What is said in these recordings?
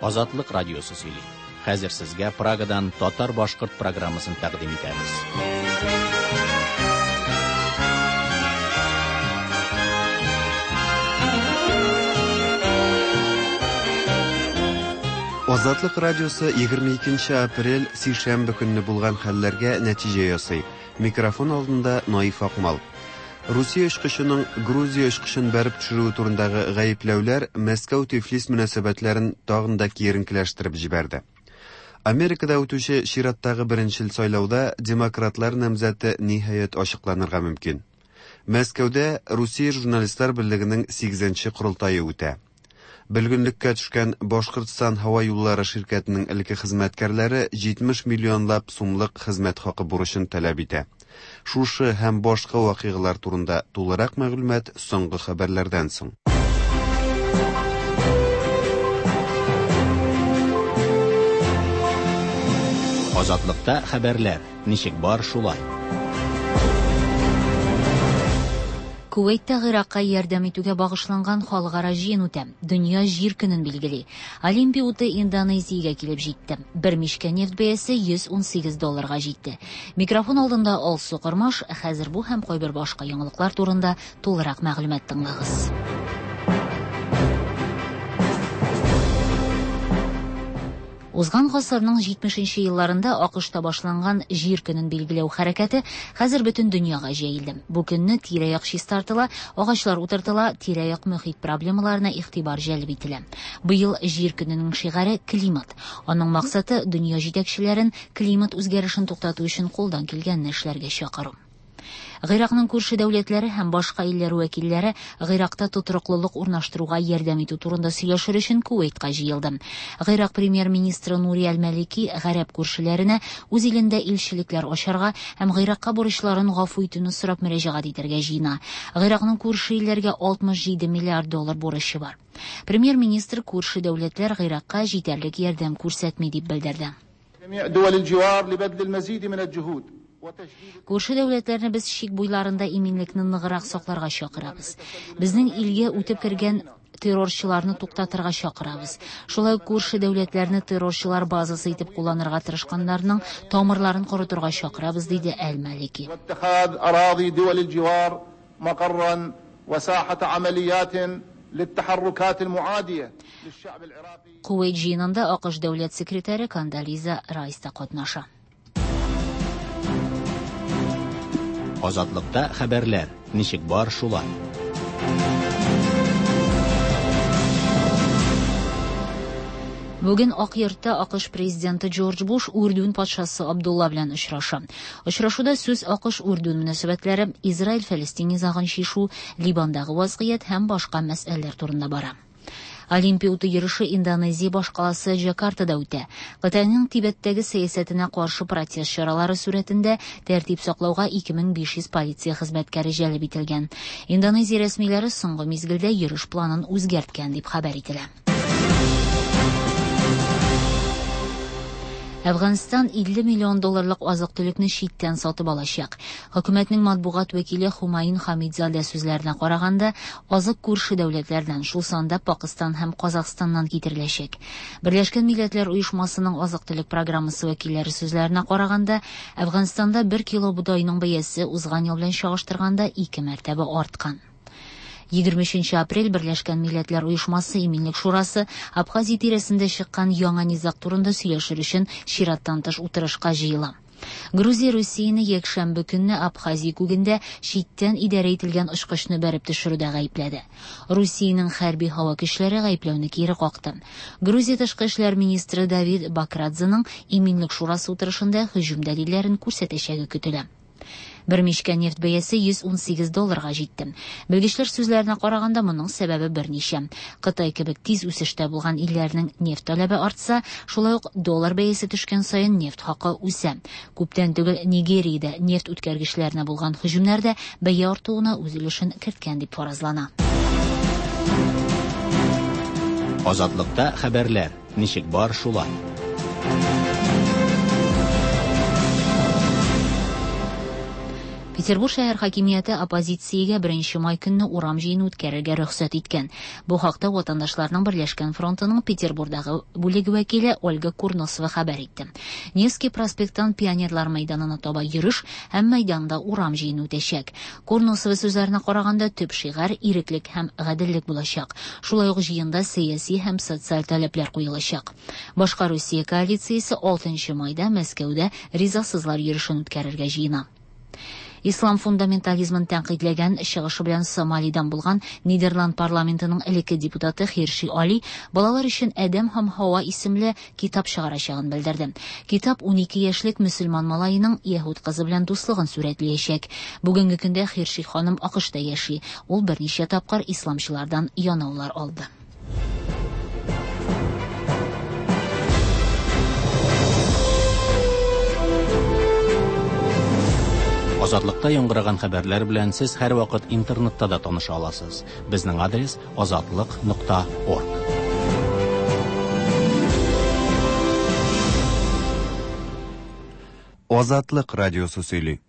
Азатлык радиосы сөйли. Хәзер сезгә Прагадан татар-башкорт программасын тәкъдим итәбез. Азатлык радиосы 22 апрель сишәмбе көнне булган хәлләргә нәтиҗә ясый. Микрофон алдында Наиф Акмал. Русия очкычының Грузия очкычын бәреп төшерүе турындагы гаепләүләр Мәскәү-Тифлис мөнәсәбәтләрен тагын да киеренкеләштереп җибәрде. Америкада үтүче чираттагы беренчел сайлауда демократлар намзәте ниһаять ачыкланырга мөмкин. Мәскәүдә Русия журналистлар берлегенең 8 корылтае үтә. Бөлгенлеккә төшкән Башкортстан һава юллары ширкәтенең элекке хезмәткәрләре 70 миллионлап сумлык хезмәт хакы бурычын таләп итә. Шушы һәм башка вакыйгалар турында тулырак мәгълүмат соңгы хәбәрләрдән соң. Азатлыкта хәбәрләр ничек бар шулай. Кувейтта Гыйракка ярдәм итүгә багышланган халыкара җыен үтә. Дөнья җир көнен билгели. Олимпия уты Индонезиягә килеп җитте. Бер мичкә нефть бәясе 118 долларга җитте. Микрофон алдында Алсу Кормаш, хәзер бу һәм кайбер башка яңалыклар турында тулырак мәгълүмат тыңлагыз. Узган гасырның 70 елларында АКШта башланган Җир көнен билгеләү хәрәкәте хәзер бөтен дөньяга җәелде. Бу көнне тирә-як чистартыла, агачлар утыртыла, тирә-як мөхит проблемаларына игътибар җәлеп ителә. Быел Җир көненең шигаре климат. Аның максаты дөнья җитәкчеләрен климат үзгәрешен туктату өчен кулдан килгәнне эшләргә чакыру. Гыйракның күрше дәүләтләре һәм башка илләр вәкилләре Гыйракта тотрыклылык урнаштыруга ярдәм итү турында сөйләшер өчен Кувейтка җыелды. Гыйрак премьер-министры Нури Әл-Мәлики гарәп күршеләренә үз илендә илчелекләр ачарга һәм Гыйракка бурычларын гафу итүне сорап мөрәҗәгать итәргә җыена. Гыйракның күрше илләргә 67 миллиард доллар бурычы бар. Премьер-министр күрше дәүләтләр Гыйракка җитәрлек ярдәм күрсәтми дип белдерде. Күрше дәүләтләрне без чик буйларында иминлекне ныграк сакларга чакырабыз. Безнең илгә үтеп кергән террорчыларны туктатырга чакырабыз. Шулай ук күрше дәүләтләрне террорчылар базасы итеп кулланырга тырышканнарның тамырларын корытырга чакырабыз, диде Әл-Малики. Кувейт җыенында АКШ дәүләт секретаре Кондолиза Райс та катнаша. Азатлыкта хәбәрләр ничек бар шулай. Бүген Ак йортта АКШ президенты Джордж Буш Үрдүн патшасы Абдулла белән очраша. Очрашуда сүз АКШ-Үрдүн мөнәсәбәтләре, Израиль-Фәлестин низагын чишү, Ливандагы вазгыять һәм башка мәсьәләләр турында бара. Олимпия уты йөреше Индонезия башкаласы Джакартада үтә. Кытайның Тибеттәге сәясәтенә каршы протест чаралары сурәтендә тәртип саклауга 2500 полиция хезмәткәре җәлеп ителгән. Индонезия рәсмиләре соңгы мизгелдә йөреш планын үзгәрткән дип хәбәр ителә. Әфганстан 50 миллион долларлык азык-төлекне читтән сатып алачак. Хөкүмәтнең матбугат вәкиле Хумаин Хамидзадә сүзләренә караганда, азык күрше дәүләтләрдән, шул санда Пакыстан һәм Казахстаннан китереләчәк. Берләшкән Милләтләр Оешмасының азык-төлек программасы вәкилләре сүзләренә караганда, Әфганстанда 1 кило бодайның бәясе узган ел белән чагыштырганда 2 мәртәбә арткан. 23 апрель Берләшкән Милләтләр Оешмасы Иминлек Шурасы Абхазия тирәсендә чыккан яңа низаг турында сөйләшер өчен чираттан тыш утырышка җыела. Грузия Русияне якшәмбе көнне Абхазия күгендә читтән идарә ителгән очкычны бәреп төшерүдә гаепләде. Русиянең хәрби һава көчләре гаепләүне кире какты. Грузия тышкы эшләр министры Давид Бакрадзеның Иминлек Шурасы утырышында һөҗүм дәлилләрен күрсәтәчәге көтелә. Бер мичкә нефть бәясе 118 долларга җитте. Белгечләр сүзләренә караганда, моның сәбәбе берничә. Кытай кебек тиз үсештә булган илләрнең нефть таләбе артса, шулай ук доллар бәясе төшкән саен нефть хакы үсә. Күптән түгел Нигериядә нефть үткәргечләренә булган һөҗүмнәр дә бәя артуына үз өлешен керткән дип фаразлана. Азатлыкта хәбәрләр ничек бар шулай. Петербур шәһәр хакимияте оппозициягә 1 май көнне урам җыены үткәрергә рөхсәт иткән. Бу хакта Ватандашларның Берләшкән фронтының Петербурдагы бүлеге вәкиле Ольга Курносова хәбәр итте. Невский проспекттан Пионерлар мәйданына таба йөреш һәм мәйданда урам җыены үтәчәк. Курносова сүзләренә караганда, төп шигарь иреклек һәм гаделлек булачак. Шулай ук җыенда сәяси һәм социаль таләпләр куелачак. Башка Русия коалициясе 6 майда Мәскәүдә ризасызлар йөрешен үткәрергә җыена. Ислам фундаментализмын тәнкыйтьләгән чыгышы белән Сомалидан булган Нидерланд парламентының элекке депутаты Хирши Али балалар өчен Адәм һәм Һава исемле китап чыгарачагын белдерде. Китап 12 яшьлек мөселман малаеның яһүд кызы белән дуслыгын сурәтләячәк. Бүгенге көндә Хирши ханым АКШта яши. Ул берничә тапкыр исламчылардан янаулар алды. Азатлыкта яңгыраган хәбәрләр белән сез һәрвакыт интернетта да таныша аласыз. Безнең адрес azatliq.org. Азатлык радиосы сөйли.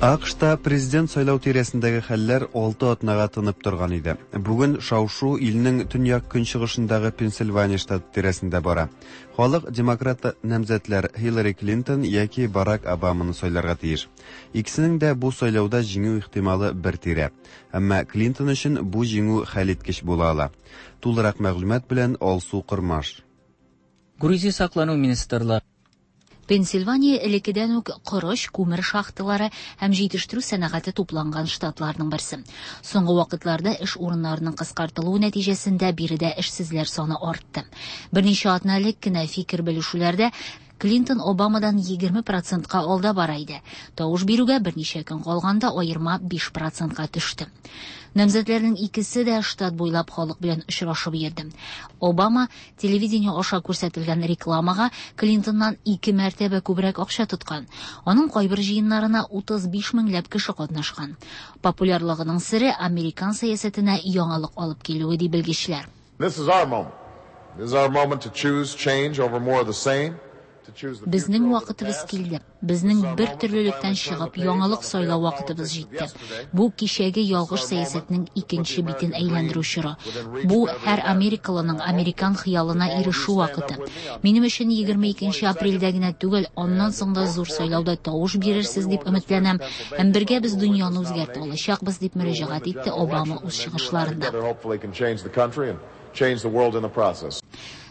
АКШта президент сайлау тирәсендәге хәлләр 6 атнага тынып торган иде. Бүген шау-шу илнең төньяк көнчыгышындагы Пенсильвания штаты тирәсендә бара. Халык демократ намзәтләр Хиллари Клинтон яки Барак Обаманы сайларга тиеш. Икесенең дә бу сайлауда җиңү ихтималы бер тирә. Әмма Клинтон өчен бу җиңү хәлиткеч була ала. Тулырак мәгълүмат белән Алсу Кормаш. Грузия саклану министрлыгы Пенсильвания элеккедән үк корыч, күмер шахталары һәм җитештерү сәнәгате тупланган штатларның берсе. Соңгы вакытларда эш урыннарының кыскартылуы нәтиҗәсендә биредә эшсезләр саны артты. Берничә атна элек кенә фикер белешүләрдә Клинтон Обамадан 20%ка алда бара иде. Тавыш бирүгә берничә көн калганда аерма 5%ка төште. Намзәтләрнең икесе дә штат буйлап халык белән очрашып йөрде. Обама телевидение аша күрсәтелгән рекламага Клинтоннан 2 мәртәбә күбрәк акча тоткан. Аның кайбер җыеннарына 35 меңләп кеше катнашкан. Популярлыгының сере американ сәясәтенә яңалык алып килүе ди белгечләр. This is our moment. This is our moment to choose change over more of the same. Безнең вакытыбыз килде. Безнең бер төрлелектән чыгып, яңалык сайлау вакытыбыз җитте. Бу кичәге ялгыш сәясәтнең икенче битен әйләндерү чоры. Бу һәр америкалының американ хыялына ирешү вакыты. Минем өчен 22 апрельдә генә түгел, аннан соң да зур сайлауда тавыш бирерсез дип өметләнәм. Һәм бергә без дөньяны үзгәртә алачакбыз дип мөрәҗәгать итте Обама үз чыгышларында.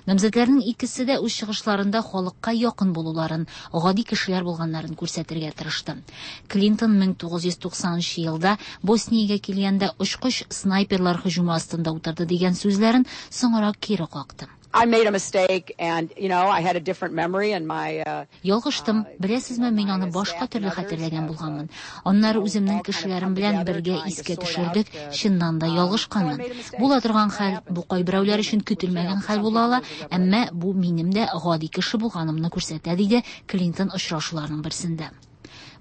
Намзәтләрнең икесе дә үз чыгышларында халыкка якын булуларын, гади кешеләр булганнарын күрсәтергә тырышты. Клинтон 1990 елда Босниягә килгәндә очкыч снайперлар һөҗүме астында утырды дигән сүзләрен соңрак кире какты. I made a mistake and, you know, I had a different memory and my Ялгыштым. Беләсезме, мин аны башка төрле хәтерләгән булганмын. Аннары үземнең кешеләрем белән бергә искә төшердек, чыннан да ялгышканмын. Була торган хәл, бу кайберәүләр өчен көтелмәгән хәл була ала, әмма бу минем дә гади кеше булганымны күрсәтә, диде Клинтон очрашуларның берсендә.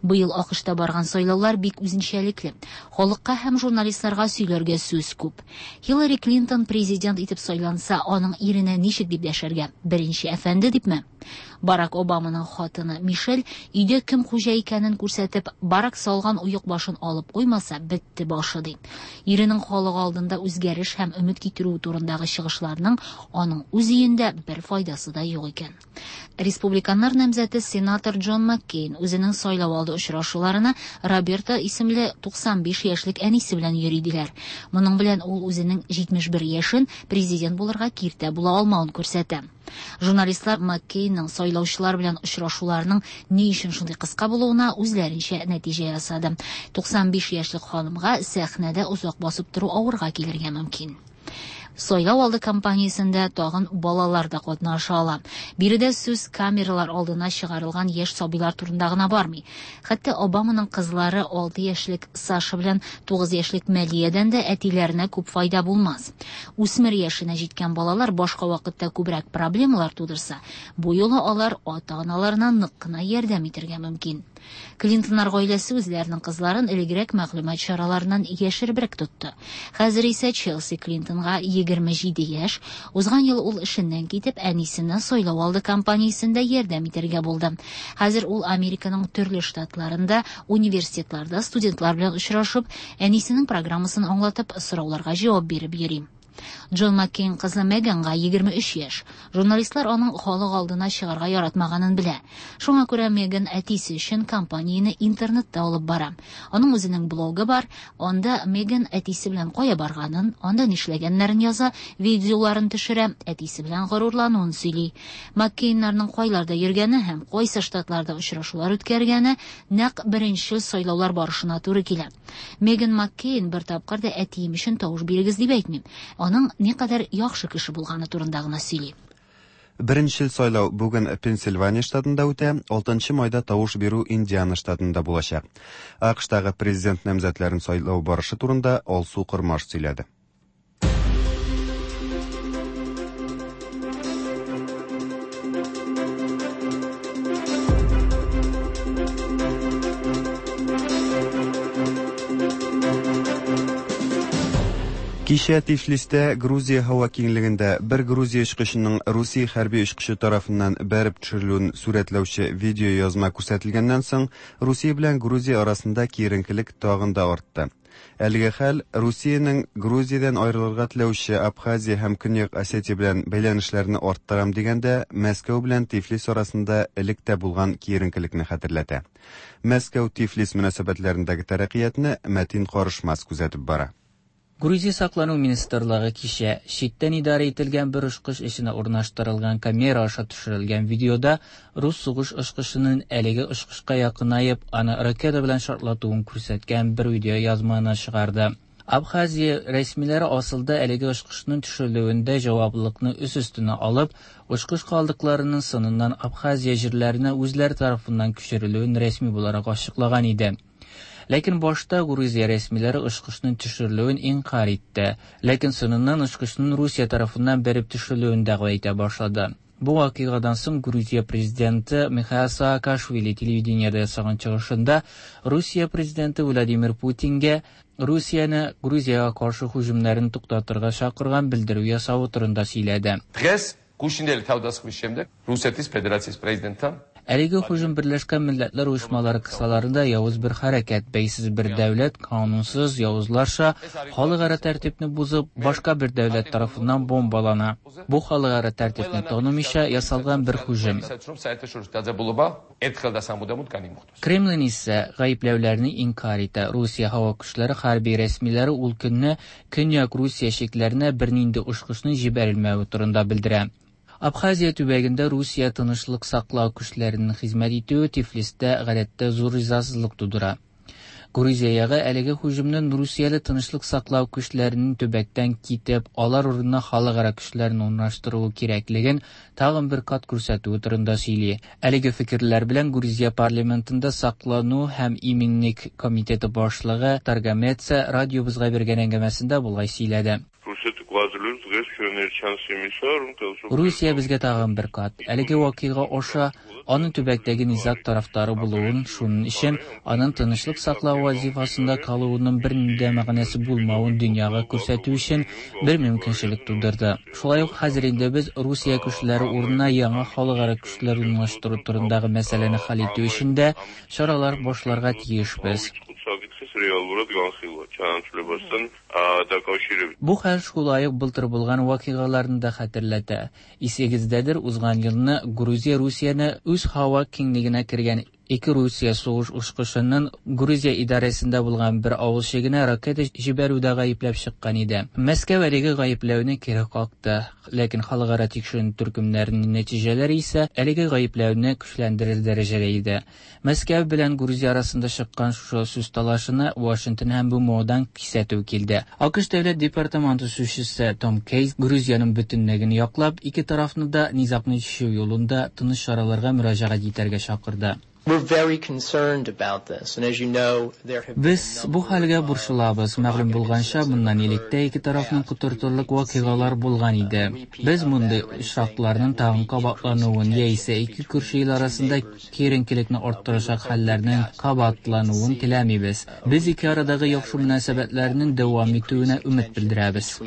Быел АКШта барган сайлаулар бик үзенчәлекле. Халыкка һәм журналистларга сөйләргә сүз күп. Хиллари Клинтон президент итеп сайланса, аның иренә ничек дип дәшәргә? Беренче әфәнде дипме? Барак Обаманың хатыны Мишель өйдә кем хуҗа икәнен күрсәтеп, Барак салган оек башын алып куймаса, бетте башы ди. Иренең халык алдында үзгәреш һәм өмет китерү турындагы чыгышларның аның үз өендә бер файдасы да юк икән. Республиканнар намзәте сенатор Джон Маккейн үзенең сайлау алды очрашуларына Роберта исемле 95 яшьлек әнисе белән йөри диләр. Моның белән ул үзенең 71 яшен президент булырга киртә була алмавын күрсәтә. Журналистлар Маккейнның сайлаучылар белән очрашуларының ни өчен шундый кыска булуына үзләренчә нәтиҗә ясады. 95 яшьлек ханымга сәхнәдә озак басып тору авырга килергә мөмкин. Сайлау алды кампаниясендә тагын балалар да катнаша ала. Биредә сүз камералар алдына чыгарылган яшь сабыйлар турында гына бармый. Хәтта Обаманың кызлары 6 яшьлек Саша белән 9 яшьлек Мәлиядән дә әтиләренә күп файда булмас. Үсмер яшенә җиткән балалар башка вакытта күбрәк проблемалар тудырса, бу юлы алар ата-аналарына нык кына ярдәм итәргә мөмкин. Клинтоннар гаиләсе үзләренең кызларын элегрәк мәгълүмат чараларыннан яшеребрәк тотты. Хәзер исә Челси Клинтонга 27 яшь. Узган ел ул эшеннән китеп, әнисенә сайлау алды кампаниясендә ярдәм итәргә булды. Хәзер ул Американың төрле штатларында, университетларда студентлар белән очрашып, әнисенең программасын аңлатып, сорауларга җавап биреп йөри. Джон Маккейн кызы Меганга 23 яшь. Журналистлар аның халык алдына чыгарга яратмаганын белә. Шуңа күрә Меган әтисе өчен кампанияне интернетта алып бара. Аның үзенең блогы бар. Анда Меган әтисе белән кая барганын, анда нишләгәннәрен яза, видеоларын төшерә, әтисе белән горурлануын сөйли. Маккейннарның кайларда йөргәне һәм кайсы штатларда очрашулар үткәргәне нәкъ беренче сайлаулар барышына туры килә. Меган Маккейн бер тапкыр да әтием өчен тавыш бирегез дип әйтми. Аның никадәр яхшы кеше булганы турында гына сөйли. Беренчел сайлау бүген Пенсильвания штатында үтә, 6 майда тавыш бирү Индиана штатында булачак. АКШтагы президент намзәтләрен сайлау барышы турында Алсу Кормаш сөйләде. Кичә Тифлистә Грузия һава киңлегендә бер Грузия очкычының Русия хәрби очкычы тарафыннан бәреп төшерелүен сурәтләүче видеоязма күрсәтелгәннән соң, Русия белән Грузия арасында киеренкелек тагын да артты. Әлеге хәл Русиянең Грузиядән аерылырга теләүче Абхазия һәм Көньяк Осетия белән бәйләнешләрне арттырам дигәндә Мәскәү белән Тифлис арасында элек тә булган киеренкелекне хәтерләтә. Мәскәү-Тифлис мөнәсәбәтләрендәге тәрәккыятне Мәтин Карышмас күзәтеп бара. Грузия саклану министрлыгы кичә читтән идарә ителгән бер очкыч эченә урнаштырылган камера аша төшерелгән видеода рус сугыш очкычының әлеге очкычка якынаеп, аны ракета белән шартлатуын күрсәткән бер видеоязманы чыгарды. Абхазия рәсмиләре асылда әлеге очкычның төшерелүендә җаваплылыкны үз өстенә алып, очкыч калдыкларының сыныннан Абхазия җирләренә үзләре тарафыннан күчерелүен рәсми буларак ачыклаган иде. Ләкин башта Грузия рәсмиләре очкычның төшерелүен инкарь итте. Ләкин соңыннан очкычның Русия тарафыннан бәреп төшерелүен дәгъва итә башлады. Бу вакыйгадан соң Грузия президенты Михаил Саакашвили телевидениедә ясаган чыгышында Русия президенты Владимир Путинга Русияне Грузиягә каршы һөҗүмнәрен туктатырга чакырган белдерү ясавы турында сөйләде. Დღეს გუშინდელი თავდასხმის შემდეგ რუსეთის ფედერაციის პრეზიდენტთან Әлеге һөҗүм Берләшкән Милләтләр Оешмалары кысаларында явыз бер хәрәкәт, бәйсез бер дәүләт канунсыз явызларча халыкара тәртипне бозып, башка бер дәүләт тарафыннан бомбалана. Бу халыкара тәртипне танымыйча ясалган бер һөҗүм. ისაც რომ საერთაშორისო დაძაბულობა ერთხელ და სამუდამოდ განიმუხტოს. Kremlin исә гаепләүләрне инкарь итә. Русия һава көчләре хәрби рәсмиләре ул көнне Көньяк Русия чикләренә бернинди очкычның җибәрелмәве турында белдерә. Абхазия төбәгендә Русия тынычлык саклау көчләренең хезмәт итүе Тифлистә гадәттә зур ризасызлык тудыра. Грузия ягы әлеге һөҗүмнең Русияле тынычлык саклау көчләренең төбәктән китеп, алар урынына халыкара көчләрен урнаштыруы кирәклеген тагын бер кат күрсәтүе турында сөйли. Әлеге фикерләр белән Грузия парламентында саклану һәм иминлек комитеты башлыгы Таргамеца радиобызга биргән әңгәмәсендә болай сөйләде. რუსეთი გვაძლევს დღეს ჩვენ ერთ შანსს იმისა, რომ ხელისუფლება Русия безгә тагын бер кат әлеге вакыйга аша аның төбәктәге низаг тарафдары булуын, шуның өчен аның тынычлык саклау вазифасында калуының бернинди дә мәгънәсе булмавын дөньяга күрсәтү өчен бер мөмкинчелек тудырды. Шулай ук хәзер инде без Русия көчләре урынына яңа халыкара көчләр урнаштыру турындагы мәсьәләне хәл итү өчен дә чаралар башларга тиешбез. ავიწყოთ საკითხის რეალურად განხილვა ჩანაცვლებასთან დაკავშირებით. Бу хәл шулай ук былтыр булган вакыйгаларны да хәтерләтә. Исегездәдер, узган елны Грузия Русияне үз һава киңлегенә кергән ике Русия сугыш очкычының Грузия идарәсендә булган бер авыл чигенә ракета җибәрүдә гаепләп чыккан иде. Мәскәү әлеге гаепләүне кире какты, ләкин халыкара тикшеренү төркемнәренең нәтиҗәләре исә әлеге гаепләүне көчләндерер дәрәҗәдә иде. Мәскәү белән Грузия арасында чыккан шушы сүз талашына Вашингтон һәм БМОдан кисәтү килде. АКШ дәүләт департаменты сүзчесе Том Кейс Грузиянең бөтенлеген яклап, ике тарафны да низагны чишү юлында тыныч чараларга мөрәҗәгать итәргә чакырды. Без бу хәлгә борчылабыз. Мәгълүм булганча, моннан элек тә ике тарафны котыртырлык вакыйгалар булган иде. Без мондый очракларның тагын кабатлануын яисә ике күрше ил арасында киеренкелекне арттырачак хәлләрнең кабатлануын теләмибез. Без ике арадагы яхшы мөнәсәбәтләрнең дәвам итүенә өмет белдерәбез.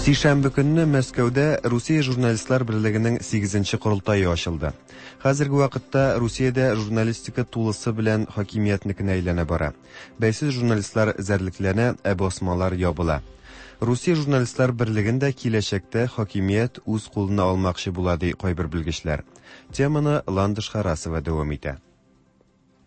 Сишәмбе көнне Мәскәүдә Русия журналистлар берлегенең 8 корылтае ачылды. Хәзерге вакытта Русиядә журналистика тулысы белән хакимиятнекенә әйләнә бара. Бәйсез журналистлар эзәрлекләнә, ә басмалар ябыла. Русия журналистлар берлеген дә киләчәктә хакимият үз кулына алмакчы була, ди кайбер белгечләр. Теманы Ландыш Харасова дәвам итә.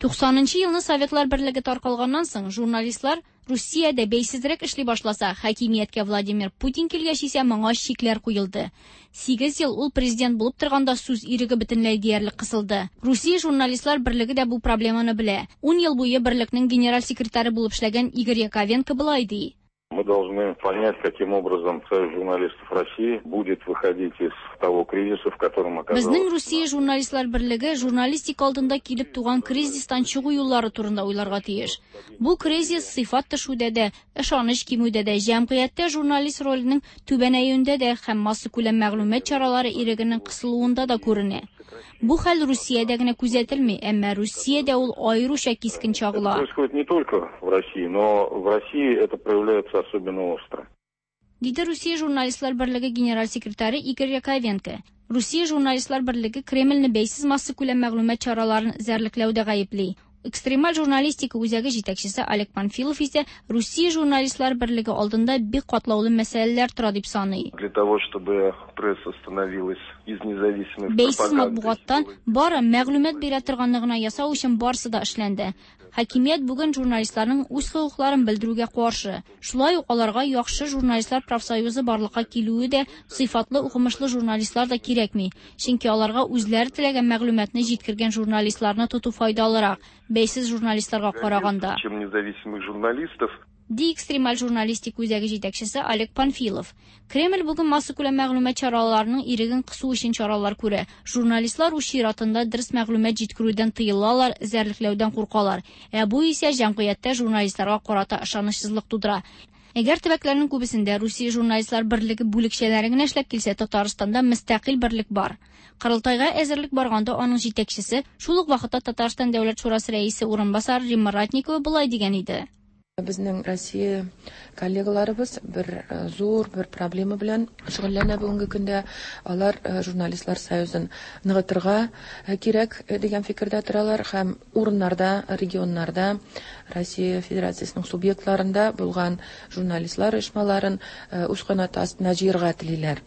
90 нчы елны Советлар Берлеге таркалганнан соң, журналистлар Русиядә бәйсезрәк эшли башласа, хакимияткә Владимир Путин килгәч исә моңа чикләр куелды. 8 ел ул президент булып торганда сүз иреге бөтенләй диярлек кысылды. Русия журналистлар берлеге дә бу проблеманы белә. 10 ел буе берлекнең генераль секретаре булып эшләгән Игорь Яковенко болай ди. Мы должны понять, каким образом Союз журналистов России будет выходить из того кризиса, в котором оказалась. Безнең Русия журналистлар берлеге журналистика алдында килеп туган кризистан чыгу юллары турында уйларга тиеш. Бу кризис сыйфат төшүдә дә, ышаныч кимүдә дә, җәмгыятьтә журналист роленең түбәнәюендә дә һәм массакүләм мәгълүмат чаралары ирегенең кысылуында да күренә. Бу хәл Русиядә генә күзәтелми, әмма Русиядә ул аеруча кискен чагыла. Это происходит не только в России, но в России это проявляется особенно остро. Диде Русия журналистлар берлеге генераль секретаре Игорь Яковенко. Русия журналистлар берлеге Кремльне бәйсез массакүләм мәгълүмат чараларын эзәрлекләүдә гаепли. Экстремаль журналистика үзәге җитәкчесе Олег Панфилов исә Русия журналистлар берлеге алдында бик катлаулы мәсьәләләр тора дип саный. Для того, чтобы пресса становилась из независимой Бәйсез матбугаттан бары мәгълүмат бирә торганны гына ясау өчен барысы да эшләнде. Хакимият бүген журналистларның үз хокукларын белдерүгә каршы. Шулай ук аларга яхшы журналистлар профсоюзы барлыкка килүе дә, сыйфатлы укымышлы журналистлар да кирәкми. Чөнки аларга үзләре теләгән мәгълүматны җиткергән журналистларны тоту файдалырак, бәйсез журналистларга караганда. Чем независимых журналистов. Ди экстремаль журналистика үзәге җитәкчесе Олег Панфилов. Кремль бүген массакүләм мәгълүмат чараларының иреген кысу өчен чаралар күрә. Журналистлар үз чиратында дөрес мәгълүмат җиткерүдән тыелалар, эзәрлекләүдән куркалар. Ә бу исә җәмгыятьтә журналистларга карата ышанычсызлык тудыра. Әгәр төбәкләрнең күбесендә Русия журналистлар берлеге бүлекчәләре генә эшләп килсә, Татарстанда мөстәкыйль берлек бар. Корылтайга әзерлек барганда аның җитәкчесе, шул ук вакытта Татарстан Дәүләт шурасы рәисе урынбасары Римма Ратникова болай дигән иде. Безнең Россия коллегаларыбыз бер зур бер проблема белән шөгыльләнә бүгенге көндә. Алар журналистлар союзын ныгытырга кирәк дигән фикердә торалар һәм урыннарда, регионнарда Россия Федерациясенең субъектларында булган журналистлар оешмаларын үз канаты астына җыярга телиләр.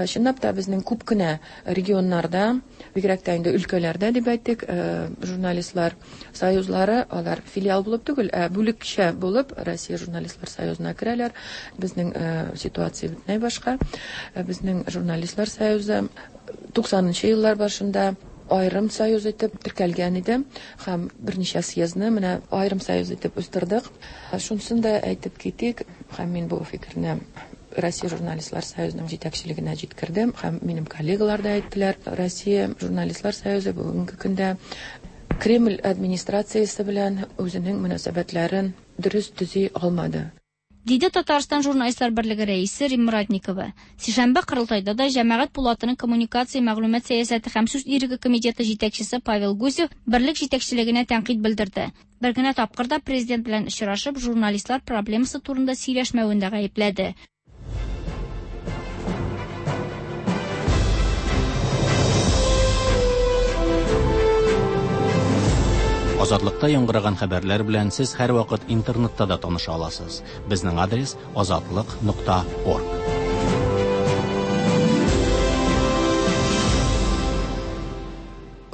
Чынлап та безнең күп кенә регионнарда, бигрәк тә инде өлкәләрдә дип әйтик, журналистлар союзлары алар филиал булып түгел, ә бүлекчә булып Россия журналистлар союзына керәләр. Безнең ситуация бөтенләй башка. Безнең журналистлар союзы 90-нчы еллар башында аерым союз итеп теркәлгән иде һәм берничә съездны менә аерым союз итеп үстердек. Шунысын да әйтеп китик, һәм мин бу фикерне Россия журналистлар союзының җитәкчелегенә җиткердем һәм минем коллегалар да әйттеләр. Россия журналистлар союзы бүгенге көндә Кремль администрациясе белән үзенең мөнәсәбәтләрен дөрес төзи алмады. Диде Татарстан журналистлар берлеге рәисе Римма Ратникова. Сишәмбе корылтайда да җәмәгать пулатының коммуникация, мәгълүмат сәясәте һәм сүз иреге комитеты җитәкчесе Павел Гусев берлек җитәкчелегенә тәнкыйть белдерде. Бер генә тапкыр да президент белән очрашып, журналистлар проблемасы турында сөйләшмәвен дә гаепләде. Азатлыкта яңгыраган хәбәрләр белән сез һәрвакыт интернетта да таныша аласыз. Безнең адрес azatliq.org.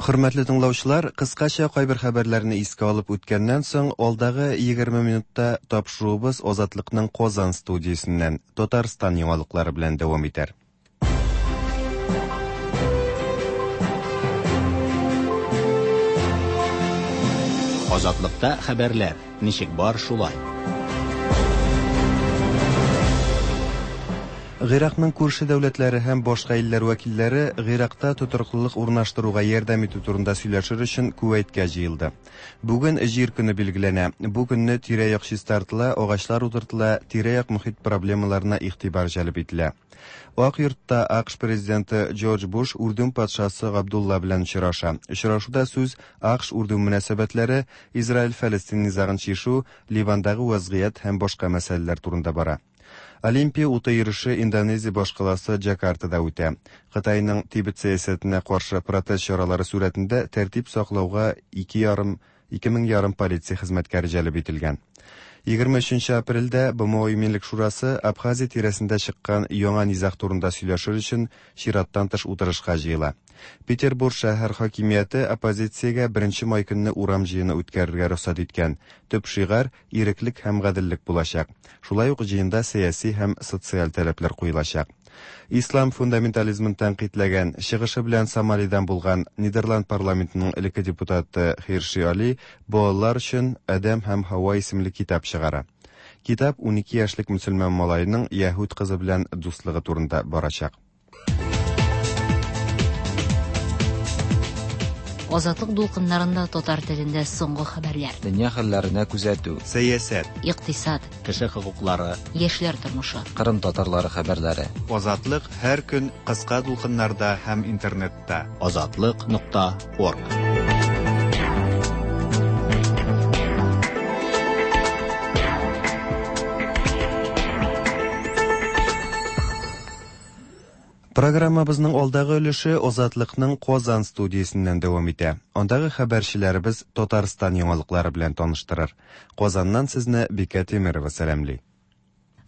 Хөрмәтле тыңлаучылар, кыскача кайбер хәбәрләрне искә алып үткәннән соң, алдагы 20 минутта тапшыруыбыз Азатлыкның Казан студиясеннән Татарстан яңалыклары белән дәвам итәр. Азатлыкта хәбәрләр, ничек бар шулай. Гыйракның күрше дәүләтләре һәм башка илләр вәкилләре Гыйракта тотрыклылык урнаштыруга ярдәм итү турында сөйләшер өчен Кувәйткә җыелды. Бүген Җир көне билгеләнә. Бу көнне тирә-як чистартыла, агачлар утыртыла, тирә-як мохит проблемаларына игътибар җәлеп ителә. Ак йортта АКШ президенты Джордж Буш Үрдүн патшасы Габдулла белән очраша. Очрашуда сүз АКШ-Үрдүн мөнәсәбәтләре, Израиль-Фәлестин низагын чишү, Ливандагы вәзгыять һәм башка мәсьәләләр турында бара. Олимпия уты йөреше Индонезия башкаласы Джакартада үтә. Кытайның Тибет сәясәтенә каршы протест чаралары сурәтендә тәртип саклауга ике ярым ике мең ярым полиция хезмәткәре җәлеп ителгән. 23 апрельдә БМО Иминлек шурасы Абхазия тирәсендә чыккан яңа низаг турында сөйләшер өчен чираттан тыш утырышка җыела. Петербург шәһәр хакимияте оппозициягә 1 май көнне урам җыены үткәрергә рөхсәт иткән. Төп шигарь иреклек һәм гаделлек булачак. Шулай ук җыенда сәяси һәм социаль таләпләр куелачак. Ислам фундаментализмын тәнкыйтьләгән, чыгышы белән Сомалидан булган Нидерланд парламентының элекке депутаты Хирши Али балалар өчен Адәм һәм Һава исемле китап чыгара. Китап 12 яшьлек мөселман малаеның яһүд кызы белән дуслыгы турында барачак. Азатлык дулкыннарында татар телендә соңгы хәбәрләр. Дөнья хәлләренә күзәтү. Сәясәт. Икътисад. Кеше хокуклары. Яшьләр тормышы. Кырым татарлары хәбәрләре. Азатлык һәр көн кыска дулкыннарда һәм интернетта. Азатлык нокта орг. Программабызның алдагы өлеше Азатлыкның Казан студиясеннән дәвам итә. Андагы хәбәрчеләребез Татарстан яңалыклары белән таныштырыр. Казаннан сезне Бикә Тимерова сәламли.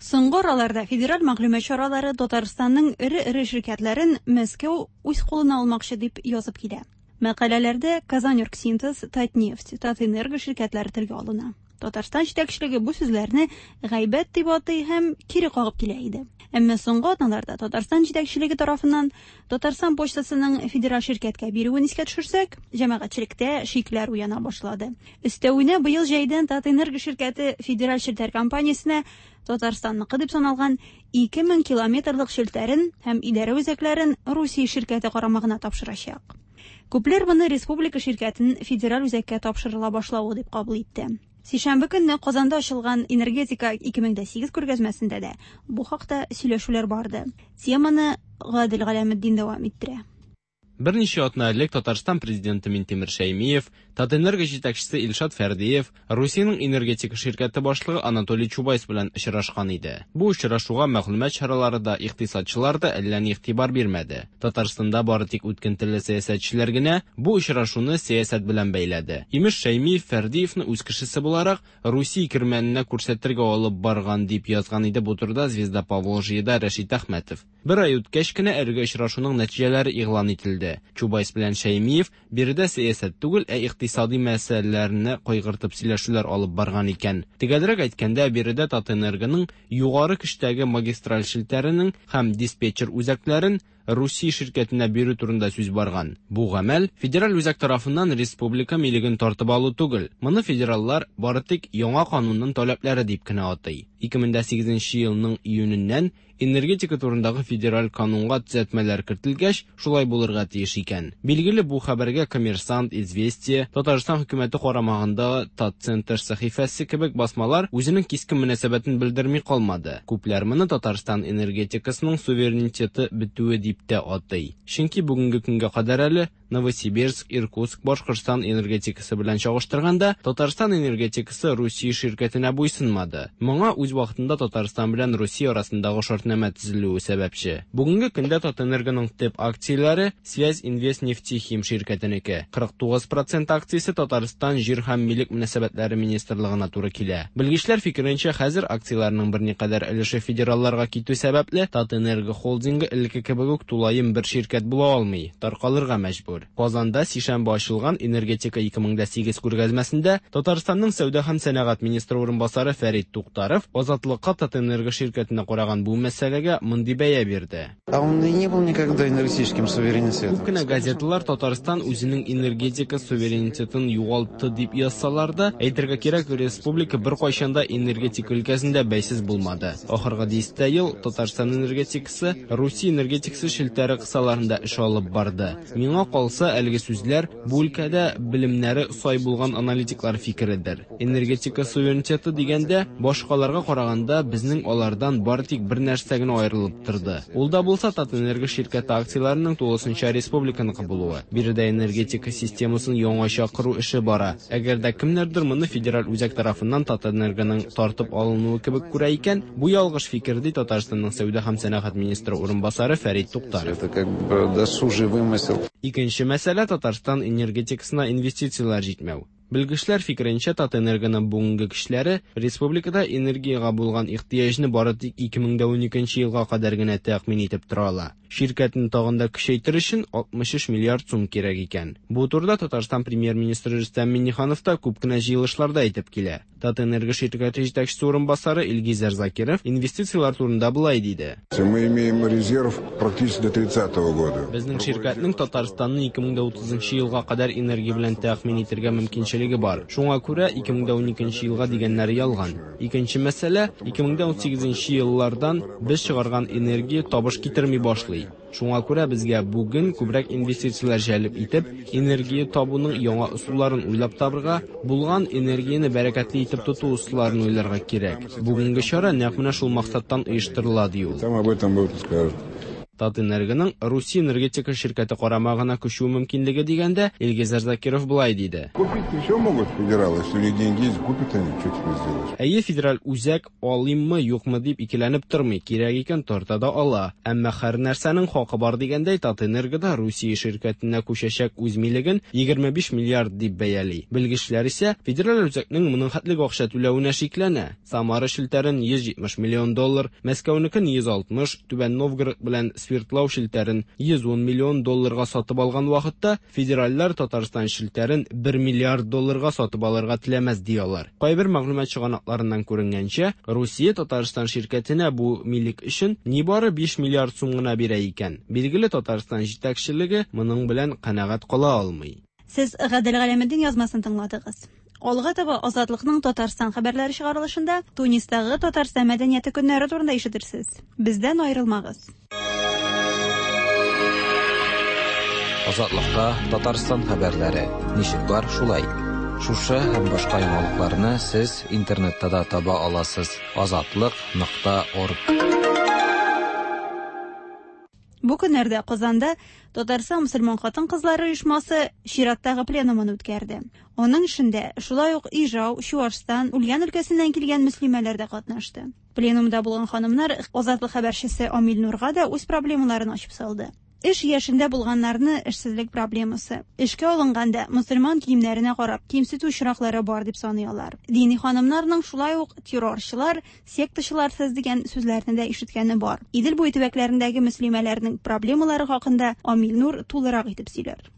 Соңгы араларда федераль мәгълүмат чаралары Татарстанның эре-эре ширкәтләрен Мәскәү үз кулына алмакчы дип язып килә. Мәкаләләрдә Казаньоргсинтез, Татнефть, Татэнерго ширкәтләре телгә алына. Татарстан җитәкчелеге бу сүзләрне гайбәт дип атый һәм кире кагып килә иде. Әмма соңгы атналарда Татарстан җитәкчелеге тарафыннан Татарстан почтасының федераль ширкәткә бирүен искә төшерсәк, җәмәгатьчелектә шикләр уяна башлады. Өстәвенә быел җәйдән Татэнерго ширкәте федераль челтәр компаниясенә Татарстанныкы дип саналган 2000 километрлык челтәрен һәм идарә үзәкләрен Русия ширкәте карамагына тапшырачак. Күпләр моны республика ширкәтен федераль үзәккә тапшырыла башлавы дип кабул итте. Сишәмбе көнне Казанда ачылган Энергетика 2008 күргәзмәсендә дә бу хакта сөйләшүләр барды. Теманы Гадел Галәметдин дәвам иттерә. Берничә атна элек Татарстан президенты Минтимер Шәймиев, Татэнерго җитәкчесе Илшат Фәрдиев, Русиянең энергетика ширкәте башлыгы Анатолий Чубайс белән очрашкан иде. Бу очрашуга мәгълүмат чаралары да, икътисадчылар да әллә ни игътибар бирмәде. Татарстанда бары тик үткен телле сәясәтчеләр генә бу очрашуны сәясәт белән бәйләде. Имеш, Шәймиев Фәрдиевны үз кешесе буларак Русия кирмәненә күрсәтергә алып барган дип язган иде бу турыда Звезда Поволжьеда Рәшит Әхмәтов. Бер ай үткәч кенә әлеге очрашуның нәтиҗәләре игълан ителде. Чубайс белән Шәймиев биредә сәясәт түгел, ә икътисади мәсьәләләрне кайгыртып сөйләшүләр алып барган икән. Төгәлрәк әйткәндә, биредә Татэнергоның югары көчтәге магистраль челтәренең һәм диспетчер үзәкләрен Русия ширкәтенә бирү турында сүз барган. Бу гамәл федераль үзәк тарафыннан республика милеген тартып алу түгел. Моны федераллар бары тик яңа канунның таләпләре дип кенә атый. 2008 елның июненнән энергетика турындагы федераль канунга төзәтмәләр кертелгәч, шулай булырга тиеш икән. Билгеле, бу хәбәргә Коммерсант, Известия, Татарстан хөкүмәте карамагындагы Татцентр сәхифәсе кебек басмалар үзенең кискен мөнәсәбәтен белдерми калмады. Күпләр моны Татарстан энергетикасының суверенитеты бетүе дип тә атый. Чөнки бүгенге көнгә кадәр әле Новосибирск, Иркутск, Башкортстан энергетикасы белән чагыштырганда, Татарстан энергетикасы Русия ширкәтенә буйсынмады. Моңа үз вакытында Татарстан белән Русия арасындагы шартнамә төзелүе сәбәпче. Бүгенге көндә Татэнергоның төп акцияләре Связь Инвест Нефтехим ширкәтенеке. 49% акциясе Татарстан җир һәм милек мөнәсәбәтләре министрлыгына туры килә. Белгечләр фикеренчә, хәзер акцияләрнең берникадәр өлеше федералларга китү сәбәпле, Татэнерго холдингы элекке кебек үк тулаем бер ширкәт була алмый, таркалырга мәҗбүр. әйбер. Казанда сишәмбе ачылган Энергетика 2008 күргәзмәсендә Татарстанның сәүдә һәм сәнәгать министры урынбасары Фәрит Туктаров Азатлыкка Татэнерго ширкәтенә караган бу мәсьәләгә мондый бәя бирде. А он и не был никогда энергетическим суверенитетом. Күп кенә газеталар Татарстан үзенең энергетика суверенитетын югалтты дип язсалар да, әйтергә кирәк, республика беркайчан да энергетика өлкәсендә бәйсез булмады. Ахыргы дистә ел Татарстан энергетикасы Русия энергетикасы челтәре кысаларында эш алып барды. Миңа калса, әлеге сүзләр бу өлкәдә белемнәре сай булган аналитиклар фикередер. Энергетика суверенитеты дигәндә, башкаларга караганда безнең алардан бары тик бер нәрсә генә аерылып торды. Ул да булса Татэнерго ширкәте акцияләренең тулысынча республиканыкы булуы. Биредә энергетика системасын яңача кору эше бара. Әгәр дә кемнәрдер моны федераль үзәк тарафыннан Татэнергоның тартып алынуы кебек күрә икән, бу ялгыш фикер, ди Татарстанның сәүдә һәм сәнәгать министры урынбасары Фәрит Туктаров. Это как бы досужий вымысел. Икенче мәсьәлә Татарстан энергетикасына инвестицияләр җитмәү. Белгечләр фикеренчә, Татэнергоның бүгенге көчләре республикада энергиягә булган ихтыяҗны бары тик 2012 елга кадәр генә тәэмин итеп тора ала. Ширкәтне тагын да көчәйтер өчен 63 миллиард сум кирәк икән. Бу турыда Татарстан премьер-министры Рөстәм Миңнеханов та күп кенә җыелышларда әйтеп килә. Татэнерго ширкәте җитәкчесе урынбасары Илгизәр Закиров инвестицияләр турында болай диде. Мы имеем резерв практически до 30 года. Безнең ширкәтнең Татарстанны 2030 елга кадәр энергия белән тәэмин итәргә мөмкинчелеге бар. Шуңа күрә 2012 елга дигәннәре ялган. Икенче мәсьәлә, 2018 еллардан без чыгарган энергия табыш китерми башлый. Шуңа күрә безгә бүген күбрәк инвестицияләр җәлеп итеп, энергия табуның яңа ысулларын уйлап табырга, булган энергияне бәрәкәтле итеп тоту ысулларын уйларга кирәк. Бүгенге чара нәкъ менә шул максаттан оештырыла, ди ул. Там об этом будут скажут. Татэнергоның Русия энергетика ширкәте карамагына күчү мөмкинлеге дигәндә, Илгизәр Закиров болай диде. Купить все могут федералы, если у них деньги есть, купят они, что теперь сделаешь? Әйе, федераль үзәк алыйммы, юкмы дип икеләнеп тормый, кирәк икән тарта да ала. Әмма һәр нәрсәнең хакы бар дигәндәй, Татэнерго да Русия ширкәтенә күчәчәк үз милеген 25 миллиард дип бәяли. Белгечләр исә федераль үзәкнең моның хәтлек акча түләвенә шикләнә. Самара челтәрен 170 миллион доллар, Мәскәүнекен 160, Түбән Новгород белән Свердлау челтәрен 110 миллион долларга сатып алган вакытта федеральләр Татарстан челтәрен 1 миллиард долларга сатып алырга теләмәс ди алар. Кайбер мәгълүмат чыганакларыннан күренгәнчә, Русия Татарстан ширкәтенә бу милек өчен нибары 5 миллиард сум гына бирә икән. Билгеле, Татарстан җитәкчелеге моның белән канәгать кала алмый. Сез Гадел Галәметдин язмасын тыңладыгыз. Алга таба Азатлыкның Татарстан хәбәрләре чыгарылышында Тунистагы Татарстан мәдәнияте көннәре турында ишетерсез. Бездән аерылмагыз. Азатлыкта Татарстан хәбәрләре. Ничек бар, шулай. Шушы һәм башка яңалыкларны сез интернетта да таба аласыз. Азатлык.орг. Бу көннәрдә Казанда Татарстан мөселман хатын-кызлары оешмасы чираттагы пленумын үткәрде. Аның эшендә шулай ук Ижау, Чуашстан, Ульян өлкәсеннән килгән мөслимәләр дә катнашты. Пленумда булган ханымнар Азатлык хәбәрчесе Амил Нурга да үз проблемаларын ачып салды. Эш яшендә булганнарны эшсезлек проблемасы, эшкә алынганда мөселман киемнәренә карап кимсетү очраклары бар дип саный алар. Дини ханымнарның шулай ук террорчылар, сектачылар сез дигән сүзләрне дә ишеткәне бар. Идел буе төбәкләрендәге мөслимәләрнең проблемалары хакында Амил Нур тулырак итеп сөйләр.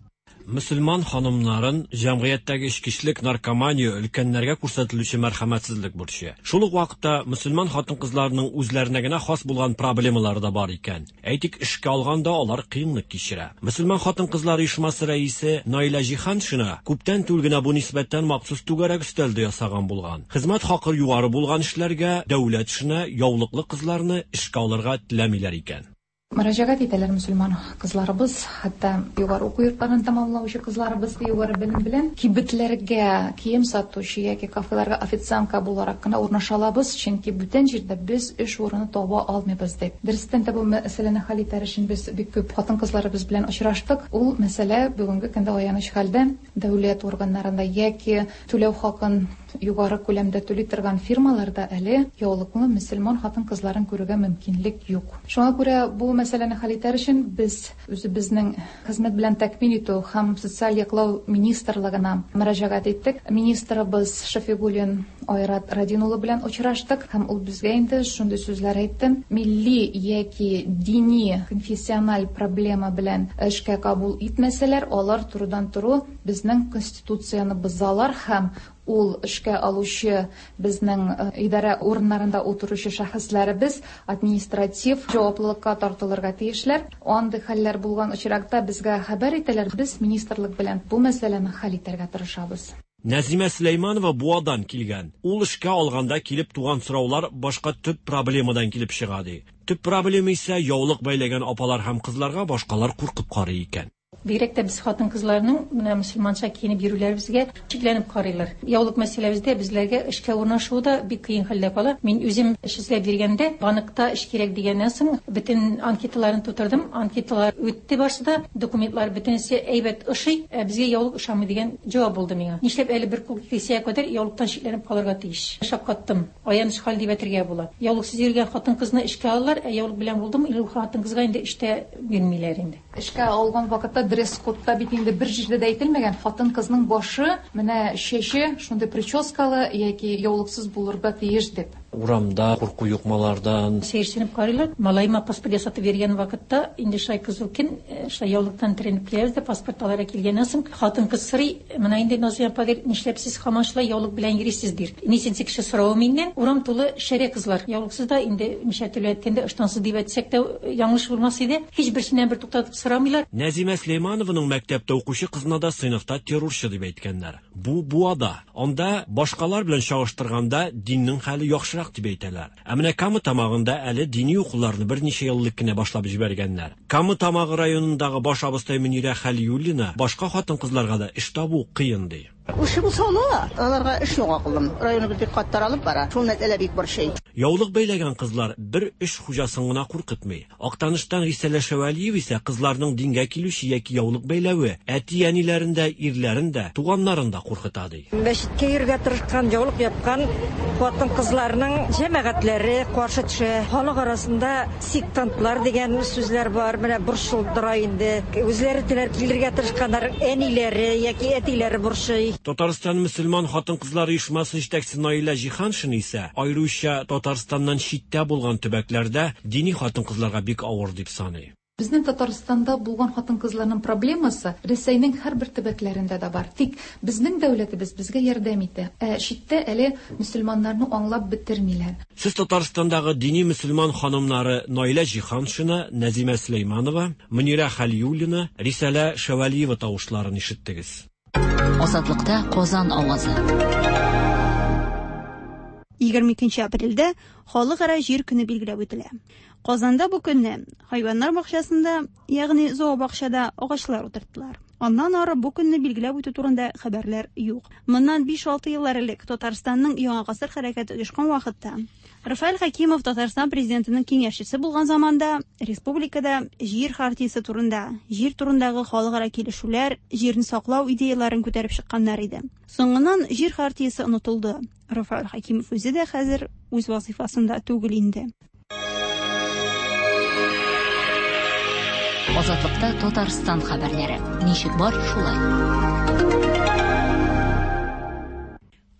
Мөселман ханымнарын җәмгыятьтәге эчкечелек, наркомания, өлкәннәргә күрсәтелүче мәрхәмәтсезлек борчый. Шул ук вакытта мөселман хатын-кызларының үзләренә генә хас булган проблемалары да бар икән. Әйтик, эшкә алганда алар кыенлык кичерә. Мөселман хатын-кызлар оешмасы рәисе Наилә Җиһаншина күптән түгел генә бу нисбәттән махсус түгәрәк өстәл дә ясаган булган. Хезмәт хакы югары булган эшләргә, дәүләт эшенә яулыклы кызларны эшкә алырга теләмиләр икән. Мөрәҗәгать итәләр мөселман кызларыбыз, хәтта югары уку йортларын тәмамлаучы кызларыбыз югары белем белән кибетләргә кием сатучы яки кафеларга официантка буларак кына урнаша алабыз, чөнки бүтән җирдә без эш урыны таба алмыйбыз дип. Дөрестән дә бу мәсьәләне хәл итәр өчен без бик күп хатын-кызларыбыз белән очраштык. Ул мәсьәлә бүгенге көндә аяныч хәлдә дәүләт органнарында яки түләү хакын югары күләмдә түли торган фирмаларда әле яулыклы мөселман хатын-кызларын күрергә мөмкинлек юк. Шуңа күрә бу мәсьәләне хәл итәр өчен без үзебезнең хезмәт белән тәэмин итү һәм социаль яклау министрлыгына мөрәҗәгать иттек. Министрыбыз Шафигуллин Айрат Радин улы белән очраштык һәм ул безгә инде шундый сүзләр әйтте: милли яки дини конфессиональ проблема белән эшкә кабул итмәсәләр, алар турыдан-туры безнең конституцияне бозалар һәм ул эшкә алучы безнең идарә урыннарында утыручы шәхесләребез административ җаваплылыкка тартылырга тиешләр. Андый хәлләр булган очракта безгә хәбәр итәләр, без министрлык белән бу мәсьәләне хәл итәргә тырышабыз. Нәзимә Сөләйманова Буадан килгән. Ул эшкә алганда килеп туган сораулар башка төп проблемадан килеп чыга, ди. Төп проблема исә яулык бәйләгән апалар һәм кызларга башкалар куркып карый икән. Бигрәк тә без хатын-кызларның менә мөселманча киенеп йөрүләребезгә шикләнеп карыйлар. Яулык мәсьәләбездә безләргә эшкә урнашу да бик кыен хәлдә кала. Мин үзем эш эзләп йөргәндә, банкта эш кирәк дигәннән соң, бөтен анкеталарын тутырдым. Анкеталар үтте барсы да, документлар бөтенесе әйбәт ошый, ә безгә яулык ошамый дигән җавап булды миңа. Нишләп әле бер кул кисәгә кадәр яулыктан шикләнеп калырга тиеш? Шаккаттым. Аяныч хәл дип әйтергә була. Яулыксыз йөргән хатын-кызны эшкә алалар, ә яулык белән булдымы, ул хатын-кызга инде эш тә бирмиләр инде. Эшкә алган вакытта дресс-кодта бит инде бер җирдә дә әйтелмәгән, хатын-кызның башы, менә чәче шундый прическалы яки яулыксыз булырга тиеш дип. Урамда курку юк малардан. Сәерсенеп карыйлар. Малаема паспорт ясатып биргән вакытта, инде шулай кызу көн, шулай яулыктан төренеп киләбез дә, паспорт алырга килгәннән соң, хатын-кыз сорый, менә инде Назия апа, ди, нишләп сез һаман шулай яулык белән йөрисез, ди. Ничәнче кеше соравы миннән. Урам тулы шәрә кызлар. Яулыксыз да инде ничә төрле әйткәндә, ыштансыз дип әйтсәк тә яңлыш булмас иде. Һич берсеннән бер туктатып сорамыйлар. Нәзимә Сөләйманованың мәктәптә укучы кызына да сыйныфта террорчы дип әйткәннәр. Бу Буада. Анда башкалар белән чагыштырганда диннең хәле яхшырак дип әйтәләр. Ә менә Кама Тамагында әле дини укуларны берничә ел элек кенә башлап җибәргәннәр. Кама Тамагы районындагы баш абыстай Мөнирә Хәлиуллина башка хатын-кызларга да эш табу кыен ди. Эше булса ала, аларга эш юк, акыллым. Районыбыз бик каты таралып бара. Шул мәсьәлә бик борчый. Яулык бәйләгән кызлар бер эш хуҗасын гына куркытмый. Актаныштан Рисәлә Шәвәлиева исә кызларның дингә килүче яки яулык бәйләве әти-әниләрен дә, ирләрен дә, туганнарын да куркыта ди. Мәчеткә йөрергә тырышкан, яулык япкан хатын-кызларның җәмәгатьләре каршы төшә. Халык арасында сектантлар дигән сүзләр бар, менә борчылдыра инде. Үзләре теләп килергә тырышканнар, әниләре яки әтиләре борчый. Татарстан мөселман хатын-кызлар оешмасы җитәкчесе Наилә Җиһаншина исә аеруча Татарстаннан читтә булган төбәкләрдә дини хатын-кызларга бик авыр дип саный. Безнең Татарстанда булган хатын-кызларның проблемасы Рәсәйнең һәрбер төбәкләрендә дә бар. Тик безнең дәүләтебез безгә ярдәм итә. Ә читтә әле мөселманнарны аңлап бетермиләр. Сез Татарстандагы дини мөселман ханымнары Наилә Җиһаншина, Нәзимә Сөләйманова, Мөнирә Хәлиуллина, Рисәлә Шәвәлиева тавышларын ишеттегез. Азатлыкта Казан авазы. 22 апрельдә Халыкара җир көне билгеләп үтелә. Казанда бу көнне хайваннар бакчасында, ягъни зообакчада агачлар утырттылар. Аннан ары бу көнне билгеләп үтү турында хәбәрләр юк. Моннан 5-6 еллар элек Татарстанның Яңа гасыр хәрәкәте оешкан вакытта Рафаэль Хәкимов Татарстан президентының киңәшчесе булган заманда республикада җир хартиясе турында, җир турындагы халыкара килешүләр, җирне саклау идеяләрен күтәреп чыкканнар иде. Соңыннан җир хартиясе онытылды. Рафаэль Хәкимов үзе дә хәзер үз вазифасында түгел инде. Азатлыкта Татарстан хәбәрләре. Ничек бар, шулай.